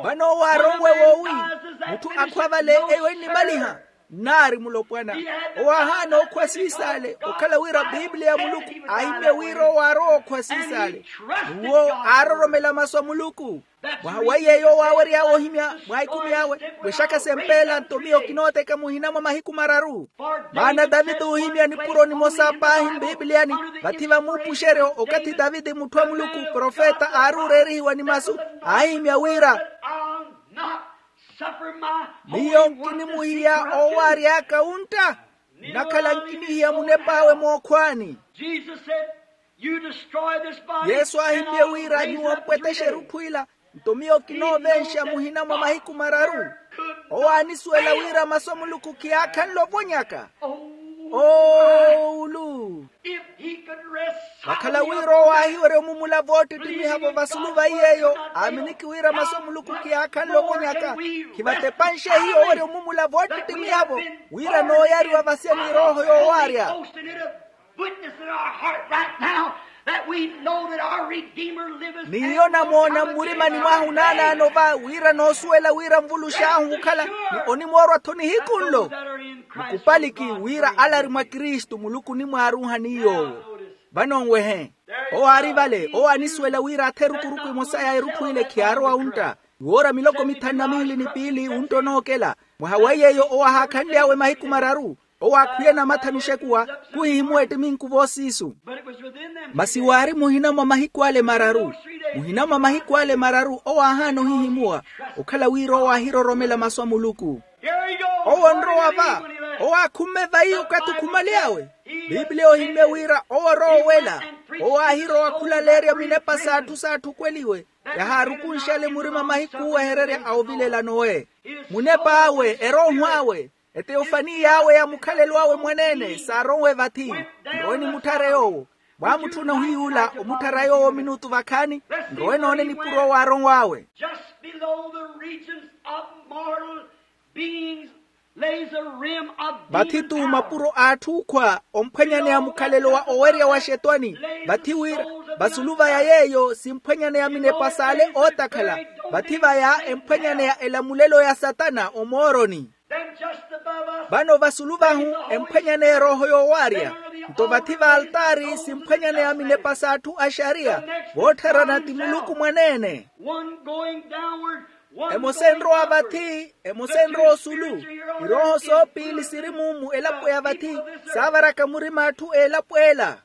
Vano owo aaronwe woowi? Mutthu akhwa vale eyo ennimaliha nnaari mulopwana. Owo aahaana okhwa siisaale okhala wira piipiliya ya muluku aahimye wira owo aarowa okhwa siisaale. N'uwo aaroromela masu a muluku. Mwaha wa yeeyo owo aawery'awe ohimya mwa ikumi awe. Wexaka sempeela nto miyo kinooteka muhina mwa mahiku mararu. Maana taviti oohimya nipuro nimosa paahi mpiipiliyani. Vathi va muupuxeryo okathi taviti mutthu a muluku profeta aari ooreerihiwa ni masu aahimya wira, miyo nkinimuhiya oowary'aka wuntta. Nnakhala nkinihiya munep'awe mookhwaani. Yesu aahimye wira nyuwo mpwetexerye etthu ila. Nto miyo kinoovenxa muhina mwa mahiku mararu. Owo aanisuwela wira masu a muluku khiyaakhanle ovonyaka. Oowulu. Vakhala wira owo aahiwerya omumula voottittimiha-vo vasulu va iy'eyo aaminiki wira masu a muluku khiyaakhanle ovonyaka. Khivatepanxe hiyo owerya omumula voottittimiha-vo wira nooyariwa vasia ni erooho yoowaarya. Witness in our heart right now that we know that our Redeemer liveth. N'iyo namoona mmurimani mwahu naanaano va wira noosuwela wira nvulux'ahu okhala ni onimoorwa-tho nihiku nlo. Nikupaliki wira ale ari mwa kristu muluku onimwaaruuha ni yoowo. Vano nwehe. Owo aari vale owo aanisuwela wira athe erukuruku emosa ya erutthu ile khiyaarowa wuntta. Iwoora miloko mithanu na miili ni piili wuntta onookela. Mwaha wa yeeyo owo ahaakhanly'awe mahiku mararu. Owo aakhwiye namatha nuxekuwa khuhihimuwa ettiminku voosiisu. Masi waari muhina mwa mahiku ale mararu. Muhina mwa mahiku ale mararu owo aahaana ohihimuwa okhala wira owo aahiroromela masu a muluku. Owo onrowa va. Owo aakhumme vayi okathi okhumaly'awe. Piipiliya ohimmye wira owo orowa owela. Owo aahirowa khulaleerya minepa s'atthu saatthukeliwe. Yahaarukunxale murima mahiku oowehererya a ovilela nowe. Munep'awe erooho awe. Eteyofani y'awe ya mukhalelo awe mwaneene saaronwe vathi. Nrowe nimutthare yoowo. Mwaamutthuna ohiy'ula omutthara yoowo minutu vakhaani. Nrowe noone nipuro owo aaronw'awe. Just below the regions of mortal beings lays a rim of demon power. Vathi-tho mapuro a atthu okhwa omphwanyaneya mukhalelo wa owerya wa xetwani. Vathi wira vasulu vaya yeeyo simphwanyaneya minepa s'ale ootakhala. Vathi vaya emphwanyaneya elamulelo ya satana omooroni. Vano vasulu vahu emphwanyaneya erooho yoowaarya. Nto vathi v'altaari simphwanyaneya minepa s'atthu axariya voottharana ti muluku mwaneene. Emosa enrowa vathi, emosa enrowa osulu. Irooho soopiili siri mumu elapo ya vathi saavaraka murima atthu elapo ela.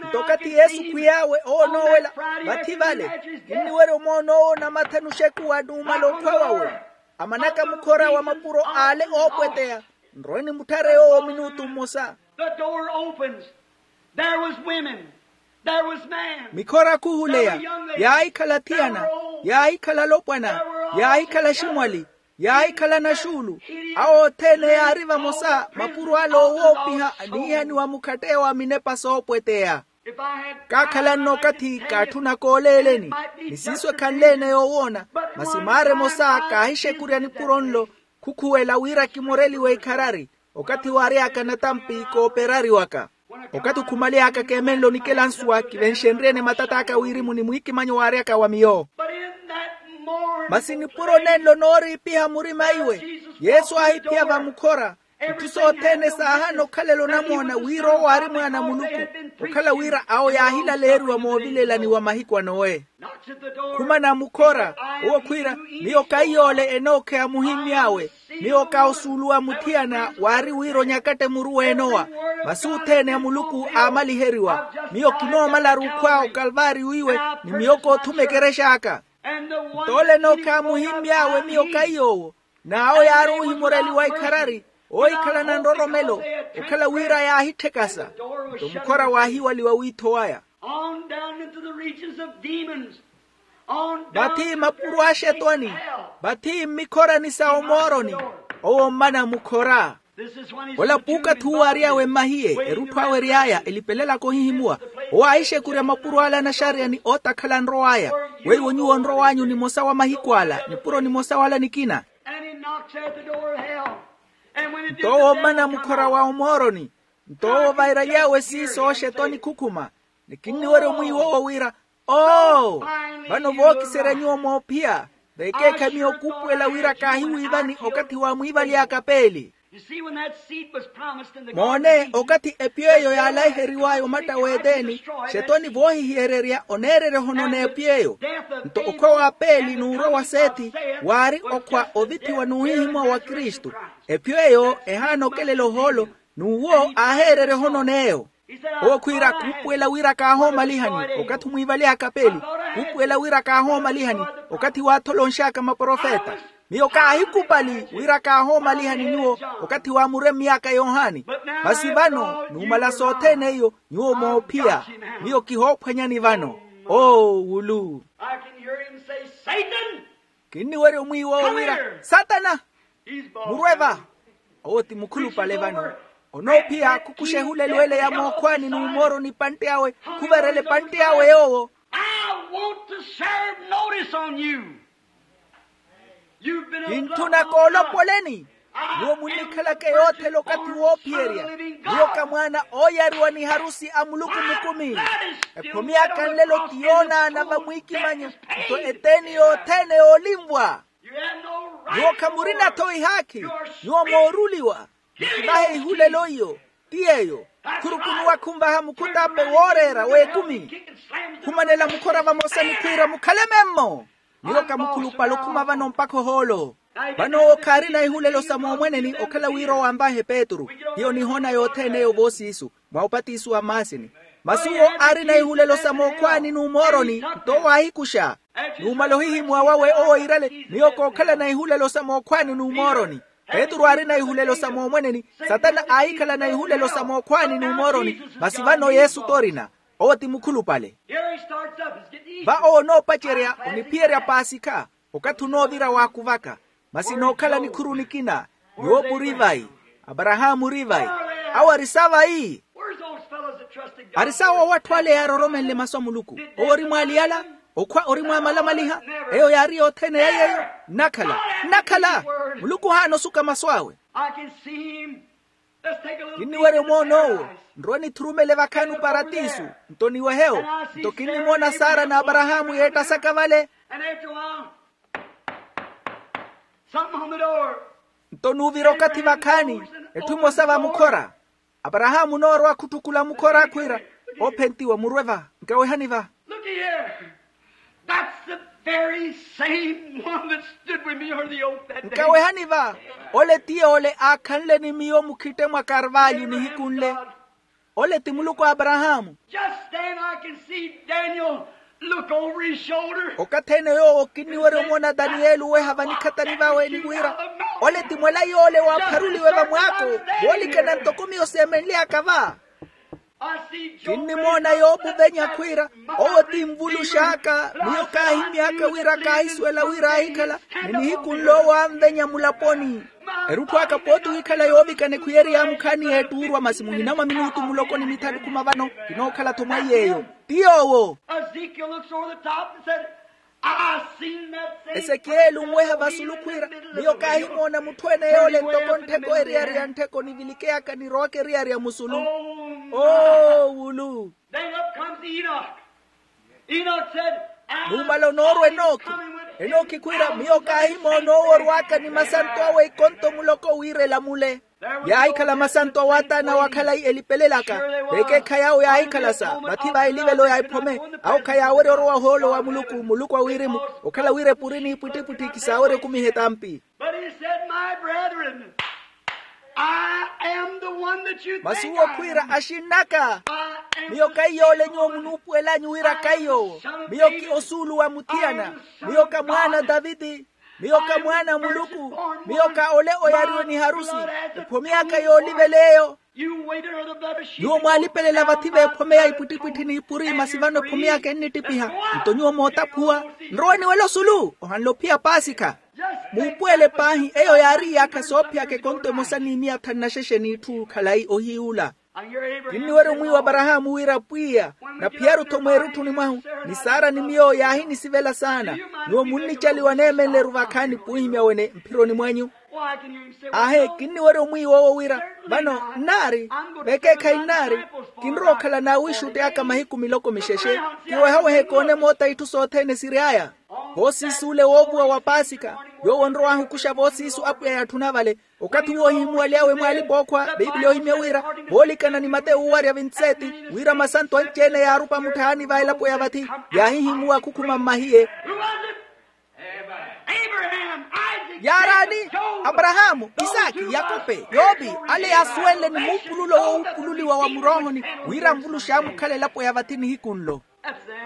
Nto okathi yesu khwiy'awe owo onoowela vathi vale. Kinniwerya omoon'owo namatha nuxekuwa n'umala okhwa wawe. Amanaka mukhora wa mapuro ale oopweteya. Nrowe nimutthare yoowo minutu mmosa. There was women, there was men. Mikhora khuhuleya, yaahikhala athiyana, yaahikhala alopwana, yaahikhala aximwali, yaahikhala naxuulu. Awo othene yaari vamosa mapuro ale owoopiha aniihaniwa mukhatt'eyo a minepa soopweteya. Kaakhala nno okathi kaatthuna kooleeleni, ni siiso ekhanle-ene yoowoona. Masi maara emosa kaahixekurya nipuro nlo, khukhuwela wira kimoreliwe ikharari. Okathi waary'aka natampi kooperariwaka, okathi khumale'aka keemenle onikela nsuwa kivenxenrye-ene matat'aka a wirimu ni mwiikimanyo waary'aka wa miyo. Masi nipuro nenlo nooriipiha murima iwe, yesu aahiphiya vamukhora. Itthu sothene saahaana okhalela onamoona wira owo aari mwaana a muluku, okhala wira awo yaahilaleeriwa moovilelani wa mahiku a nowe. Khumana mukhora, owo khwiira, miyo kaiy'ole enookheya muhimmy'awe. Miyo kaawo suuluwa muthiyana waari wira onyakatte muru w'enowa. Masi othene a muluku aamaliheriwa. Miyo kinoomalaru okhwa okalvaariyo iwe, ni miyo koothuma ekerex'aka. Nto ole enookheya muhimmy'awe miyo kaiy'owo. N'awo yaari oohimoreliwa ikharari, oohikhalana nroromelo, okhala wira yaahitthekasa. Nto mukhora waahiwaliwa wiitho waya. On down into the regions of demons. On down vathi to the mapuro a axetwani, vathi mmikhorani sa omooroni. Owo mmana mukhora. Ola puukathi uwo aary'awe mmahiye, erutthu awe ery'aya elipelelaka ohihimuwa. Owo aahixekurya mapuro ala anaxariya ni ootakhala anrow'aya. Weiwo nyuwo onrow'anyu nimosa wa mahiku ala nipuro nimosa wala nikina. Nto owo mmana mukhora wa omooroni. Nto owo vairaly'awe siiso oxetwani khukhuma. Ni kinniwerya omwiiwa owo wira, oo, vano vookiserya nyuwo moophiya. Vekeekha miyo khuupuwela wira kaahiwiivani okathi waamwiivaly'aka peeli. Moone, okathi epyo eyo yaalaiheriw'aya omatta w'eteni, xetoni voohihiyererya oneererya ohonona epyo eyo. Nto okhwa wa peeli n'urwa wa seeti, waari okhwa ovithiwa n'uhihimuwa wa kristu. Epyo eyo ehaana okelela ohoolo, n'uwo aaheererya ohonona eyo. Owo khwiira khuupuwela wira kaahoomalihani. Okathi omwiivaly'aka peeli, khuupuwela wira kaahoomalihani. Okathi waatholoonx'aka maprofeta, miyo kaahikupali wira kaahoomalihani nyuwo. Okathi waamuremmy'aka yohani, masi vano numala sothene iyo nyuwo moophiya. Miyo kihoophwanyani vano. Oo wulu. Kinniwerya omwiiwa owo wira, satana, murwe va. Owo ti mukhulupale vano. Onoophiya khukuxa ehulelo ele ya mookhwaani n'umooroni pantte awe, khuverela epantte awe yoowo. I want to serve notice on you. Kintthuna koolopoleni. Nyuwo munnikhalaka yoothela okathi woophiyerya. Nyuwo ka mwaana ooyariwa ni harusi a muluku mukumi. Ekhomi aka nlelo ti yoonaana vamwiikimanyo. Nto eteeni yothene yoolinvwa. Nyuwo khamurina-tho ihaakhi. Nyuwo mooruliwa. Mukivahe ihulelo iyo. Ti yeeyo. Khurukunuwa khunvaha mukhut'ape wooreera w'ekumi. Khumanela mukhora vamosa ni khwiira mukhale memmo. Nyuwo kamukhulupale okhuma vano mpakha ohoolo. Vano owo khaarina ihulelo sa moomweneni okhala wira owo anvahe petru. Hiyo nihoona yothene eyo voosiisu mwa opatiso wa mmaasini. Masi owo aarina ihulelo sa mookhwaani n'umooroni. Nto owo aahikuxa. Numala ohihimuwa wawe owo iirale miyo kookhalana ihulelo sa mookhwaani n'umooroni. Petru aarina ihulelo sa moomweneni. Satana aahikhalana ihulelo sa mookhwaani n'umooroni. Masi vano yesu t'orina. Owo ti mukhulupale. Va owo onoopacerya oniphiyerya paasikha. Okathi onoovira waakuvaka. Masi nookhala nikhuru nikina. Yope ori vayi? Aparahaamu ori vayi? Awo ari sa vayi? Ari sawo awo atthu ale yaaroromenle masu a muluku. Owo ori mwaaliyala. Okhwa ori mwaamalamaliha. Eyo yaari yothene ya yeeyo. Nnakhala, nnakhala. Muluku ohaana osuka masu awe. Kinniwerya omoon'owo. Nrowe nithurumele vakhaani oparatiso. Nto niwehewo. Nto kinnimoona sara n'aparahaamu yeettasaka vale. Nto nuuvira okathi vakhaani. Etthu emosa vamukhora. Aparahaamu onoorowa khutthukula mukhora akhwiira, ophentiwa murwe va. Nkawehani va. Look here. That's the very same one that stood with me on the oak that day. Nkawehani va. Ole ti yoole aakhanle ni miyo mukhitte mwa karvalyo nihiku nle. Ole ti muluku a aparahaamu. Just then I can see Daniel look over his shoulder. Okathi ene yoowo kinniwerya omoona taniyeli oweha vanikhathani vawe ni wira, ole ti mwela yoole waapharuliwe vamwaako. Voolikana ntoko miyo seemenly'aka va. Kinnimoona yoopuvenya khwiira, owo ti nvulux'aka. Miyo kaahimy'aka wira kaahisuwela wira aahikhala, ni nihiku nl'owo anvenya mulaponi. Erutthu aka pooti wikhala yoovikana ekhwiyeri yaamukhaani y'ettuurwa masi muhina mwa minutu muloko ni mithanu khuma vano. Kinookhala-tho mwa iy'eyo. Ti yoowo. Ezekiel looks over the top and said, "I seen that same esekieli onweha vasulu khwiira, miyo kaahimoona mutthu ene yoole ntoko nttheko eriyari ya nttheko nivilikeyaka nirowaka eriyari ya musulu. Oh, wulu." Then up comes Enoch. Enoch said, "I nuumala onoorwa enooki. Enooki khwiira, miyo kaahimoona owo orwaka ni masanto awe ikonto muloko wira elamule." Yaahikhala masanto awaataana wa khalayi elipelelaka. Vekeekhayi awo yaahikhala sa vathi va elivelo ya ephome. Awo khayaawerya orowa ohoolo wa muluku muluku a wirimu, okhala wira epuri n'ipwittipwitthi kisaawerya okumiha etampi. But he said, "My brethren, I am the one that you think I am." Masi uwo khwiira, axinn'aka, miyo kaiyoole nyuwo munuupuwel'anyu wira kaiyoowo. Miyo ki osuulu wa muthiyana. Miyo ka mwaana a taviti. Miyo ka mwaana a muluku. Miyo ka ole oyariwe ni harusi. Ephome yaka yoolivela eyo. Nyuwo mwaalipelela vathi v'ephome ya ipwittipwitthi n'ipuri masi vano ephome yaka ennittiphiha. Nto nyuwo mootaphuwa, nrowe niwela osulu ohanle ophiya paasikha. Muupuwele paahi eyo yaari iyaakha soophiyaka ekonto emosa ni miya thanu na xexe n'itthu khalayi ohiyuula. Kinniwerya omwiiwa aparahaamu wira pwiya, naphiyaru-tho mweerutthuni mwahu, ni sara ni miyo yaahinisivela saana. Nyuwo munnicaliwa neemenle-ru vakhaani p'uhimya wene mphironi mwanyu. Aahe kinniwerya omwiiwa owo wira, vano nnaari, vekeekhayi nnaari. Kinrowa okhala n'awiixutti aka mahiku miloko mixexe, kiwehawehe koone moota itthu sothene siri aya. Voosiis'ule woovuwa wa paasika, yoowo onrowa ahukuxa voosiisu apwiya yatthuna vale. Okathi uwo ohimuwaly'awe mwaalipa ookhwa, bibiliya ohimya wira, voolikana ni mateyu owarya vintseti, wira masanto anci-ene yaarupa mutthahani va elapo ya vathi, yaahihimuwa akhukhuma mmahiye. Yaaraani? Aparahaamu, isaaki, yakope, yoopi. Ale yaasuwenle ni muupululo woowupululiwa wa muroohoni, wira anvuluxe amukhala elapo ya vathi nihiku nlo.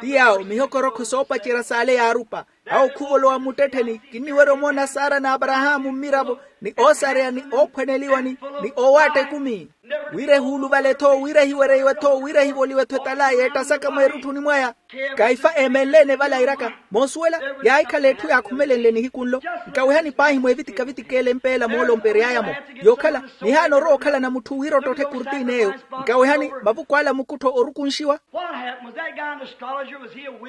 Ti yaawo mihokorokho soopacerya s'ale yaarupa. Awo khuvolowa muttettheni kinniwerya omoona sara n'aparahaamu mmiravo, ni oosareya ni oophwaneliwa ni oowaatta ekumi. Wira ehuuluvale-tho wira ehiwereiwe-tho wira ehivoliwe-tho etala yeettasaka mweerutthuni mwaya. Kaifa eemenle-ene vale airaka, moosuwela, yaahikhala etthu yaakhumelenle nihiku nlo. Nkawehani paahi mweevitika-vitika ele mpeela moolompery'aya-mo. Yookhala, nihaana orowa okhalana mutthu wira ottotthe ekurtiin'eyo. Nkawehani mavuku ala mukuttho orukunxiwa.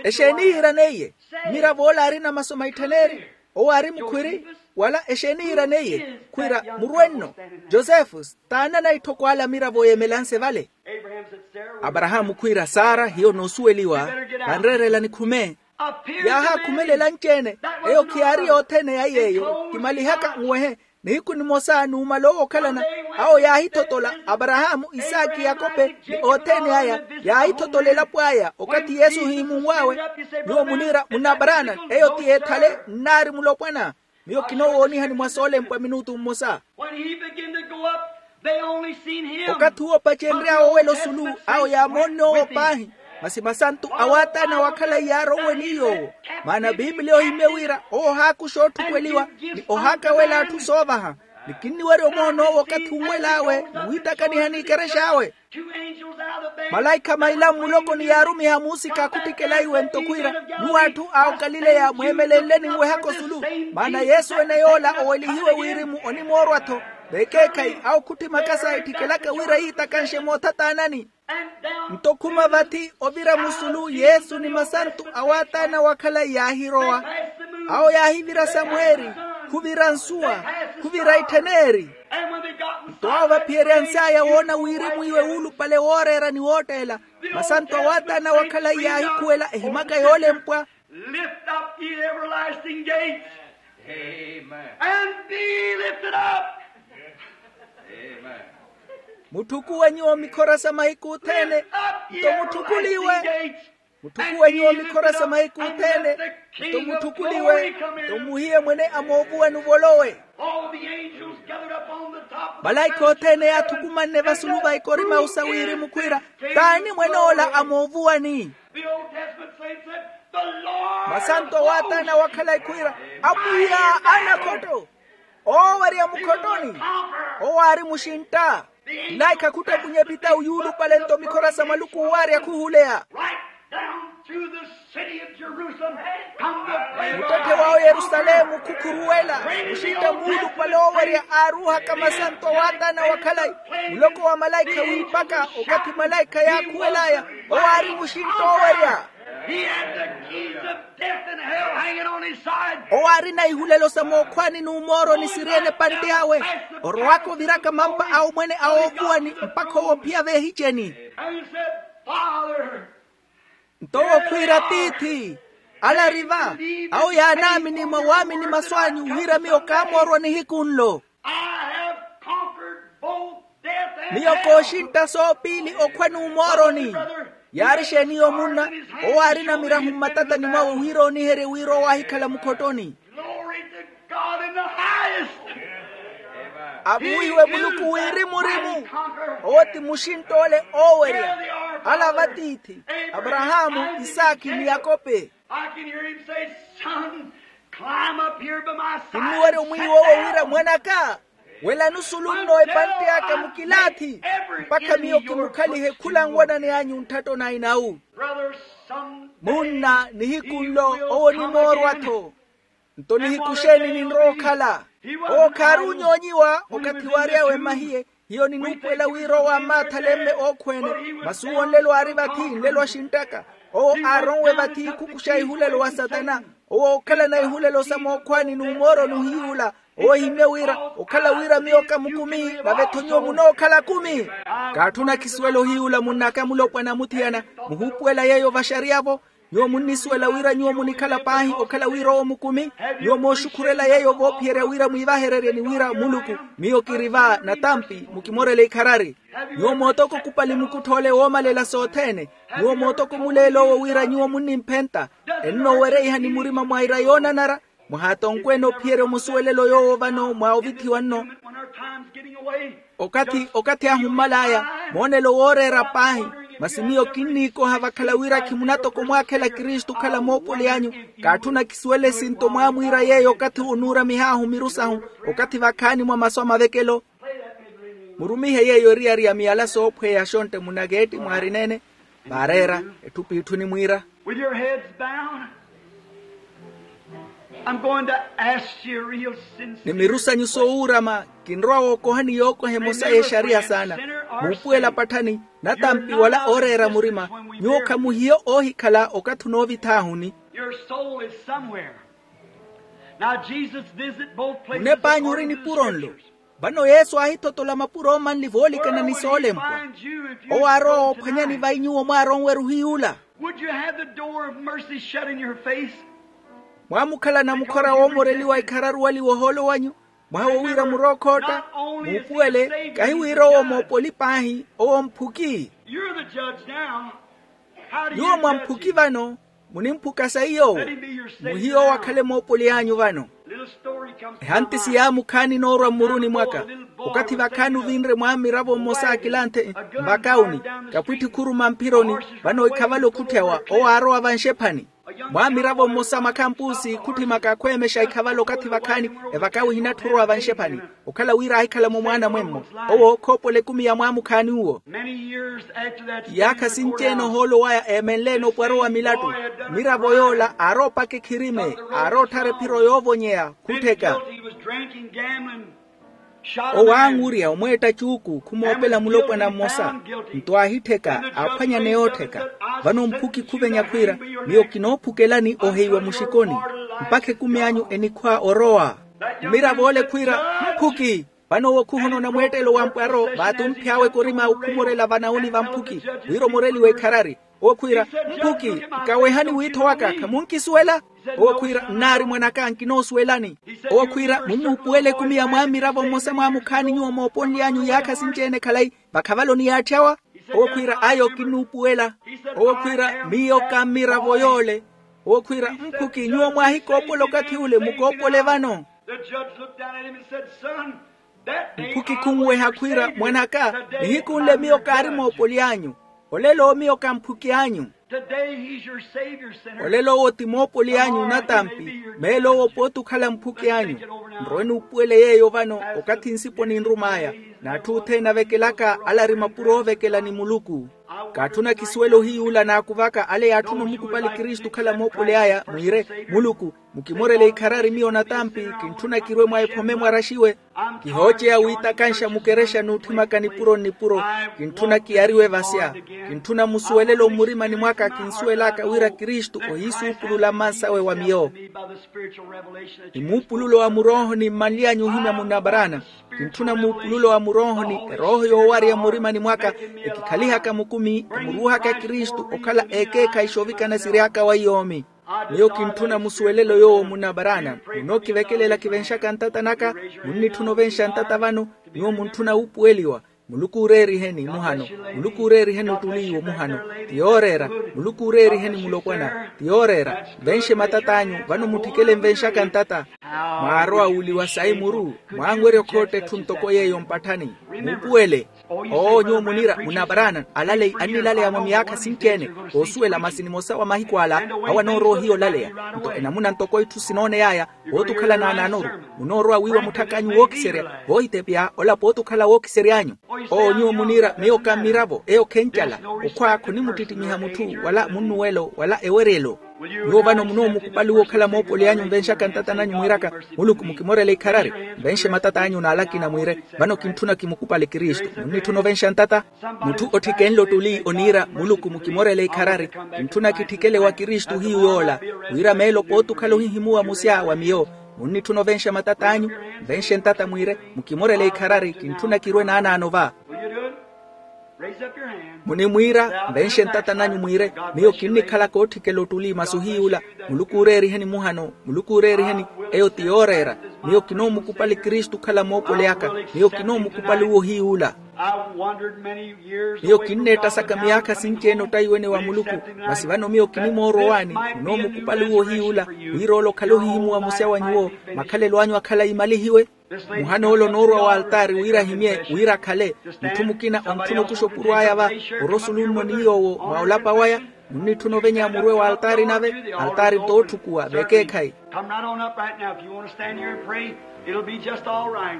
Exeeni yiiraneiye? Mmiravo ola aarina masu maitthene eri? Owo aari mukhwiri? Wala exeeni yiiraneiye? Khwiira murwenno. Josefu, taanana itthoko ala amiravo yeemelanse vale. Aparahaamu khwiira sara hiyo noosuweliwa. Vanreerela nikhume. Yaahaakhumelela anci-ene. Eyo khiyaari yothene ya yeeyo kimalihaka nwehe. Nihiku nimosa nuumala owo okhalana, awo yaahithotola aparahaamu, isaaki, yakope ni othene aya. Yaahithotola elapo aya okathi yesu ohiimunw'awe. Nyuwo muniira munaparaana, eyo ti ethale nnaari mulopwana. Miyo kinoowoonihani mwa soolempwa minutu mmosa. When he began to go up, they only seen him. Okathi uwo opacenry'awe owela osulu, awo yaamoonne owo paahi. Masi masantu awaataana wakhala iyaarowe ni yoowo. Maana bibiliya ohimye wira owo ohaakuxa ootthupweliwa ni ohaakawela atthu soovaha. Ni kinniwerya omoona owo okathi unwel'awe ni wiitakaniha n'ikerexa awe. Malaikha maila mmulokoni yaarumiha muusika akhuttikela iwe nto khwiira, nyuwo atthu a okalileya mweemelenleni nweha kosulu. Maana yesu ene yoola owelihiwe wirimu onimoorwa-tho. Vekeekhayi awo khutti makasa etthikelaka wira yiitakanxe moothataanani. Nto khuma vathi ovira musulu yesu ni masantu awaataana wakhala yaahirowa. Awo yaahivira samweeri, khuvira nsuwa, khuvira itthen'eri. Nto awo vaphiyeryans'aya woona wirimu iwe wuulupale wooreera ni wootteela. Masantu awaataana wakhala yaahikhuwela ehimaka yoolempwa. Lift up ye everlasting gates and be lifted up. Mutthukuwe nyuwo mikhora sa mahiku othene. Nto mutthukuliwe. Mutthukuwe nyuwo mikhora sa mahiku othene. Nto mutthukuliwe. Nto muhiye mwene a moovuwani ovolowe. Malaikha othene yaathukumanne vasulu va ikorimawu sa wirimu khwiira, t'ani mwene ola a moovuwani? Masantu awaataana wakhala ekhwiira, apwiya a nakhotto. Oowerya mukhottoni. Owo aari muxintta. Nlaikha khuttepunya epitawu yuulupale nto mikhora sa maluku owaarya khuhuleya. Right down through the city of Jerusalem, from the place muttette wa oyerusalemu khukhuruwela, muxintta muulupale owerya aaruuhaka masanto waatana wa khalayi, muloko wa malaikha wiipaka okathi malaikha yaakhuwel'aya. Owo aari muxintta owerya. He had the keys of death and hell hanging on his side. Owo aarina ihulelo sa mookhwaani n'umooroni siri-ene epantte awe, orowaka oviraka mampa a omwene a oovuwani mpakha owo ophiya veehiceni. And he said, Father, nto owo khwiira tiithi, ala ri va, awo yaanaamini mwa waamini masu anyu wira miyo kaamoorwa nihiku nlo. I have conquered both death and hell. Miyo kooxintta soopiili okhwa n'umooroni. Yaari xeeni yo munna? Owo aarina mirahu mmatatani mwawe wira ooniherye wira owo aahikhala mukhottoni. Glory to God in the highest. Avuwihiwe muluku wirimu-rimu. Owo ti muxintt'ole oowerya. Ala va tiithi, aparahaamu, isaakhi ni yakope. I can hear him say, son, climb up here by my side. Kinnuwerya omwiiwa owo wira mwan'aka, welani osulu nno epantte aka mukilaathi, mpakha miyo kimukhalihe khula nwanani anyu ntthatto na inawu. Munna nihiku nlo owo onimoorwa-tho. Nto nihiku xeeni ninrowa okhala? Owo khaari onyoonyiwa okathi waary'awe mmahiye. Hiyo ninuupuwela wira owo ammaathale mme ookhweene. Masi owo nlelo aari vathi nlelo axinttaka. Owo aaronwe vathi khukuxa ihulelo wa satana. Owo ookhalana ihulelo sa mookhwaani n'umooroni ohiy'ula. Owo ohimmye wira okhala wira miyo ka mukumi, nave-tho nyuwo munookhala akumi. Kaatthuna khisuwela ohiy'ula munn'aka mulopwana muthiyana. Muhuupuwela yeeyo vaxariya-vo. Nyuwo munnisuwela wira nyuwo munikhala paahi okhala wira owo mukumi? Nyuwo mooxukhurela yeeyo voophiyerya wira mwiivahererye ni wira muluku, miyo kiri va natampi mukimorela ikharari. Nyuwo mootoko okupali mukuttha ole woomalela sothene. Nyuwo mootoko omuleelo owo wira nyuwo munnimphenta. Ennoowereihani murima mwaira yoonanara? Mwahaatonkweene ophiyerya omusuwelelo yoowo vano mwa ovithiwa nno. Okathi okathi ahu mmal'aya, moonelo wooreera paahi. Masi miyo kinniikoha vakhala wira khimunatoko omwaakhela kristu okhala moopoli anyu. Kaatthuna kisuwele esinto mwaamwiira yeeyo okathi onuuramih'ahu miru sahu, okathi vakhaani mwa masu a mavekelo. Murumihe yeeyo eriyari ya miyala soophweya xontte munakeetti mwaarineene. Vaareera etthu p'itthu nimwiira. With your heads bowed, I'm going to ask you a real sincere ni miru sanyu soowuurama. Kinrowa wookohani yookoha emosa y'exariya saana. Muupuwela patthani, natampi wala ooreera murima. Nyuwo khamuhiyo oohikhala okathi onoovith'ahuni. Your soul is somewhere. Now Jesus visited both places. Munep'anyu ori nipuro nlo. Vano yesu aahithotola mapuro omanli voolikana ni soolempwa. Owo aarowa woophwanyani vai nyuwo mwaaronwerya ohiy'ula. Would you have the door of mercy shut in your face? Mwaamukhalana mukhora woomoreliwa ikhararuwaliwa ohoolo wanyu? Mwaha wo wira murookhootta. Muupuwele kahi wira owo moopoli paahi, owo mphuki. You're the judge now. How do you judge him? Nyuwo mwamphuki vano. Munimphuka saiy'owo. Muhiye owo akhale moopoli anyu vano. Ehanti siyaamukhaani noorwa mmuruni mwaka. Okathi vakhaani ovinre mwaamiravo mmosa akilanthe, nvakawuni, kapwitthi khuruma mphironi. Vano ikhavalo khutthy'awa owo aarowa vanxephani. Mwaamiravo mmosa makhampusi khutthimaka akhweemexa ikhavalo okathi vakhaani. Evakawi ehinatthu orowa vanxephani. Okhala wira aahikhala-mo mwaana mwemmo. Owo khoopola ekumi ya mwaamukhaani uwo. Iyaakha sinci-ene ohoolo waya eemenle-ene opwaro wa milattu. Miravo yoola aaroopaka ekhirime, aarootthara ephiro yoovonyeya khuttheka. Owo aang'urya omweetta cuuku khumoopela mulopwana mmosa. Nto aahittheka aaphwanyaneya oottheka. Vano mphuki khuvenya khwiira, miyo kinoophukelani oheiwa muxikoni. Mpakha ekumi anyu enikhwa orowa. Mmiravo ole khwiira, mphuki. Vano owo khuhoona onamweettelo wa mpwaro vaatumphy'awe korima okhumorela vanauni va mphuki, wira omoreliwe ikharari. Owo khwiira, mphuki, nkawehani wiitho waka khamunkisuwela. Owo khwiira, nnaari mwan'aka nkinoosuwelani. Owo khwiira, mummuupuwela ekumi ya mwaamiravo mmosa mwaamukhaani nyuwo mooponly'anyu iyaakha sinci-ene khalayi, vakhavalo niyaatthy'awa. Owo khwiira, ayo kinnuupuwela. Owo khwiira, miyo ka mmiravo yoole. Owo khwiira, mphuki nyuwo mwaahikoopola okathi ule mukoopole vano. Mphuki khunweha khwiira, mwan'aka, nihiku nle miyo kaari moopoli anyu. Olelo miyo ka mphuki anyu. Today he's your Savior, sinner. Olelo owo ti moopoli anyu natampi. Meelo owo pooti okhala mphuki anyu. Nrowe nuupuwele yeeyo vano, okathi nsipo ninrum'aya. N'atthu othene avekelaka ale ari mapuro oovekela ni muluku. Kaatthuna kisuwele ohiyuula naakuvaka ale yaatthuna omukupali kristu okhala moopoli aya mwiire, muluku, mukimorele ikharari miyo natampi. Kintthuna kirwe mwa ephome mwaraxiwe. Kihooceya wiitakanxa mukerexa n'utthimaka nipuro nnipuro. Kintthuna kiyariwe vasya. Kintthuna musuwelelo mmurimani mwaka kinsuwel'aka wira kristu ohiisuupulula mmansawe wa miyo. Ni muupululo wa muroohoni mmanly'anyu ohimya munabarana. Kintthuna muupululo wa muroohoni erooho yoowarya mmurimani mwaka, ekikhalihaka mukumi emuruuhaka kristu okhala ekeekhayi xoovikana siry'aka wa iyoomi. Miyo kintthuna musuwelelo yoowo munabarana. Munookivekelela kivenxaka ntata naka. Munnitthuna ovenxa ntata vano. Nyuwo muntthuna wuupuweliwa. Muluku ooreeriheni muhano. Muluku ooreeriheni ottuli iwo muhano. Ti yooreera. Muluku ooreeriheni mulopwana. Ti yooreera. Nvenxe matat'anyu vano mutthikele nvenxaka ntata. Mwaarowa wuuliwa sayi muru. Mwaanwerya okhootta etthu ntoko yeeyo mpatthani. Muupuwele. Oo nyuwo muniira munabarana alaleyi annilaleya mwa miyaakha sinci-ene. Oosuwela masi nimosa wa mahiku ala awo anoorowa ohiya olaleya. Nto enamuna ntoko itthu sinooney'aya. Pooti okhala naanaanoru. Munoorowa wiiwa mutthak'anyu wookiserya. Voohitepya ola pooti okhala wookisery'anyu. Oo nyuwo muniira miyo ka mmiravo eyo khencala. Okhwa khonimuttittimiha mutthu wala munnuwelo wala eweryelo. Nyuwo vano munoomukupali okhala moopoli anyu nvenxaka ntata nanyu mwiiraka, muluku mukimorele ikharari. Nvenxe matat'anyu n'ala akina mwiire, vano kintthuna kimukupali kristu munnitthuna ovenxa ntata. Mutthu otthikenle ottuli oniira muluku mukimorele ikharari. Kintthuna kitthikele wa kristu hiyu yoola, wira meelo pooti okhala ohihimuwa musya wa miyo. Munnitthuna ovenxa matat'anyu. Nvenxe ntata mwiire, mukimorele ikharari kintthuna kirwe naanaano va. Munimwiira nvenxe ntata nanyu mwiire, miyo kinnikhalaka ootthikela ottuli masi ohiyuula. Muluku ooreeriheni muhano. Muluku ooreeriheni. Eyo ti yooreera. Miyo kinoomukupali kristu okhala moopoli aka. Miyo kinoomukupali uwo ohiyuula. Miyo kinneettasaka miyaakha sinci-ene ottayiwene wa muluku. Masi vano miyo kinimoorowani. Munoomukupali uwo ohiyuula, wira ole okhale ohihimuwa musya wa nyuwo. Makhalelo anyu akhalayi malihiwe. Muhana ole onoorwa wa altaari wira ahimye wira akhale. Mutthu mukina ontthuna okuxa opuro aya va, orosulunno ni yoowo mwa olapa waya. Munnitthuna ovenya murwe wa altaari nave. Altaari t'otthukuwa vekeekhayi. Come right on up right now if you want to stand here and pray. It'll be just all right.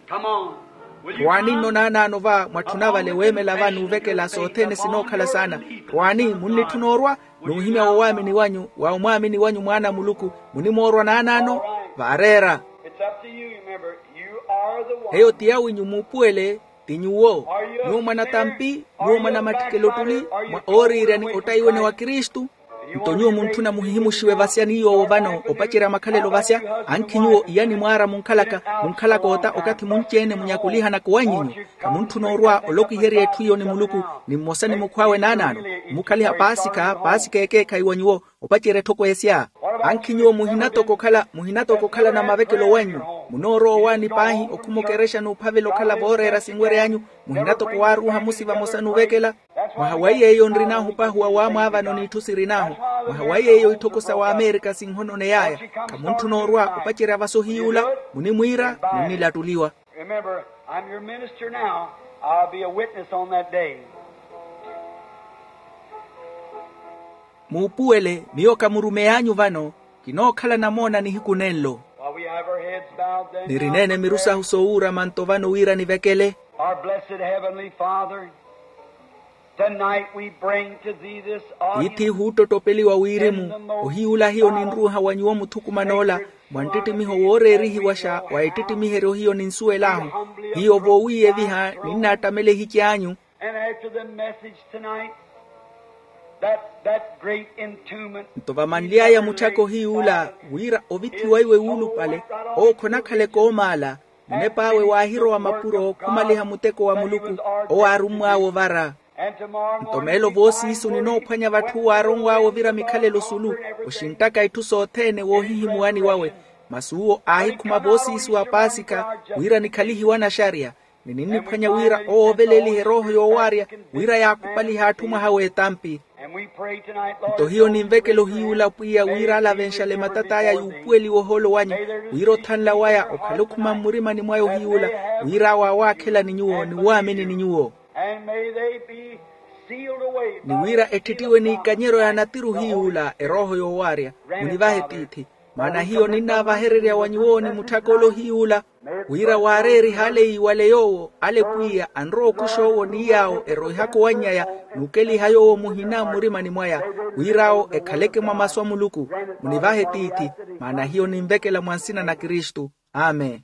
Come on. Rowani nno naanaano va mwatthuna vale weemela va n'uvekela sothene sinookhala saana. Rowani munnitthuna orwa. N'uhimya wo waamini wanyu wa omwaamini wanyu mwaana a muluku. Munimoorwa naanaano. Vaareera. It's up to you remember. You are the one. Eyo ti yawinyu muupuwele. Ti nyuwo. Nyuwo mwa natampi. Nyuwo mwa namatthikelo ottuli. Mwa ooriirya ni ottayiwene wa kristu. Nto nyuwo muntthuna muhihimuxiwe vasya ni yoowo vano opacerya makhalelo vasya. Ankhi nyuwo iyani mwaara munkhalaka munkhalaka ota okathi munci-ene munyakulihanaka owanyu nyuwo. Khamuntthuna orwa olokwiherya etthu iyo ni muluku. Ni mmosa ni mukhw'awe naanaano. Omukhaliha paasikha paasikha ekeekhayi wa nyuwo. Opacerya etthoko esya. Ankhi nyuwo muhinatoko okhala muhinatoko okhala na mavekelo wanyu. Munoorowa owaani paahi okhuma okerexa n'uphavela okhala vooreera sinwery'anyu. Muhinatoko waaruuha musi vamosa n'uvekela. Mwaha wa yeeyo nrin'ahu pahi wa waamwaavano n'itthu sirin'ahu. Mwaha wa yeeyo itthoko sa waamerika sinhononey'aya. Khamuntthuna orwa opacerya vasohiy'ula. Munimwiira. Munnilattuliwa. Remember, I'm your minister now. I'll be a witness on that day. Muupuwele miyo ka murumeyi anyu vano. Kinookhala namoona nihiku nenlo. While we have our heads bowed then. Nirineene miru sahu soowuurama nto vano wira nivekele. Our blessed heavenly father. Tonight we bring to thee this audience. Ithi huuttotopeliwa wirimu. Ohiyuula hiyo ninruuha wa nyuwo muthukuman'ola. Mwa nttittimiho wooreerihiwaxa wa ettittimiheryo hiyo ninsuwel'ahu. Hiyo voowiiyeviha ninnaattamela ehici anyu. And after the message tonight, that that great entombment. Nto vamanly'aya mutthyaka ohiyuula wira ovithiwa iwe wuulupale. Owo khonakhaleke oomaala. Munep'awe waahirowa mapuro khumaliha muteko wa muluku. Owo aarummw'awe ovara. Nto meelo voosiisu ninoophwanya vatthu waaronw'awe ovira mikhalelo sulu. Oxinttaka itthu sothene woohihimuwani wawe. Masi uwo aahikhuma voosiisu a paasika wira nikhalihiwe anaxarya. Ni ninniphwanya wira owo ovelelihe erooho yoowaarya wira yaakupalihe atthu mwaha w'etampi. Nto hiyo ninvekela ohiyuula pwiya wira alavenxale matat'aya yuupuweliwa ohoolo wanyu. Wira othanla waya okhale okhuma mmurimani mwaya ohiyuula wira awo awaakhelani nyuwo ni waamini ni nyuwo. And may they be Ni wira etthittiwe n'ikanyeryo ya natiru hiy'ula erooho yoowaarya. Munivahe tiithi, maana hiyo ninnaavahererya wa nyuwo ni mutthaka ole ohiy'ula, wira waareeriha ale yiiwale yoowo ale pwiya anrowa okuxa owo ni yaawo eroihaka owanny'aya n'ukeliha yoowo muhina mmurimani mwaya, wir'awo ekhaleke mwa masu a muluku. Munivahe tiithi, maana hiyo ninvekela mwa nsina na kristu. Amen.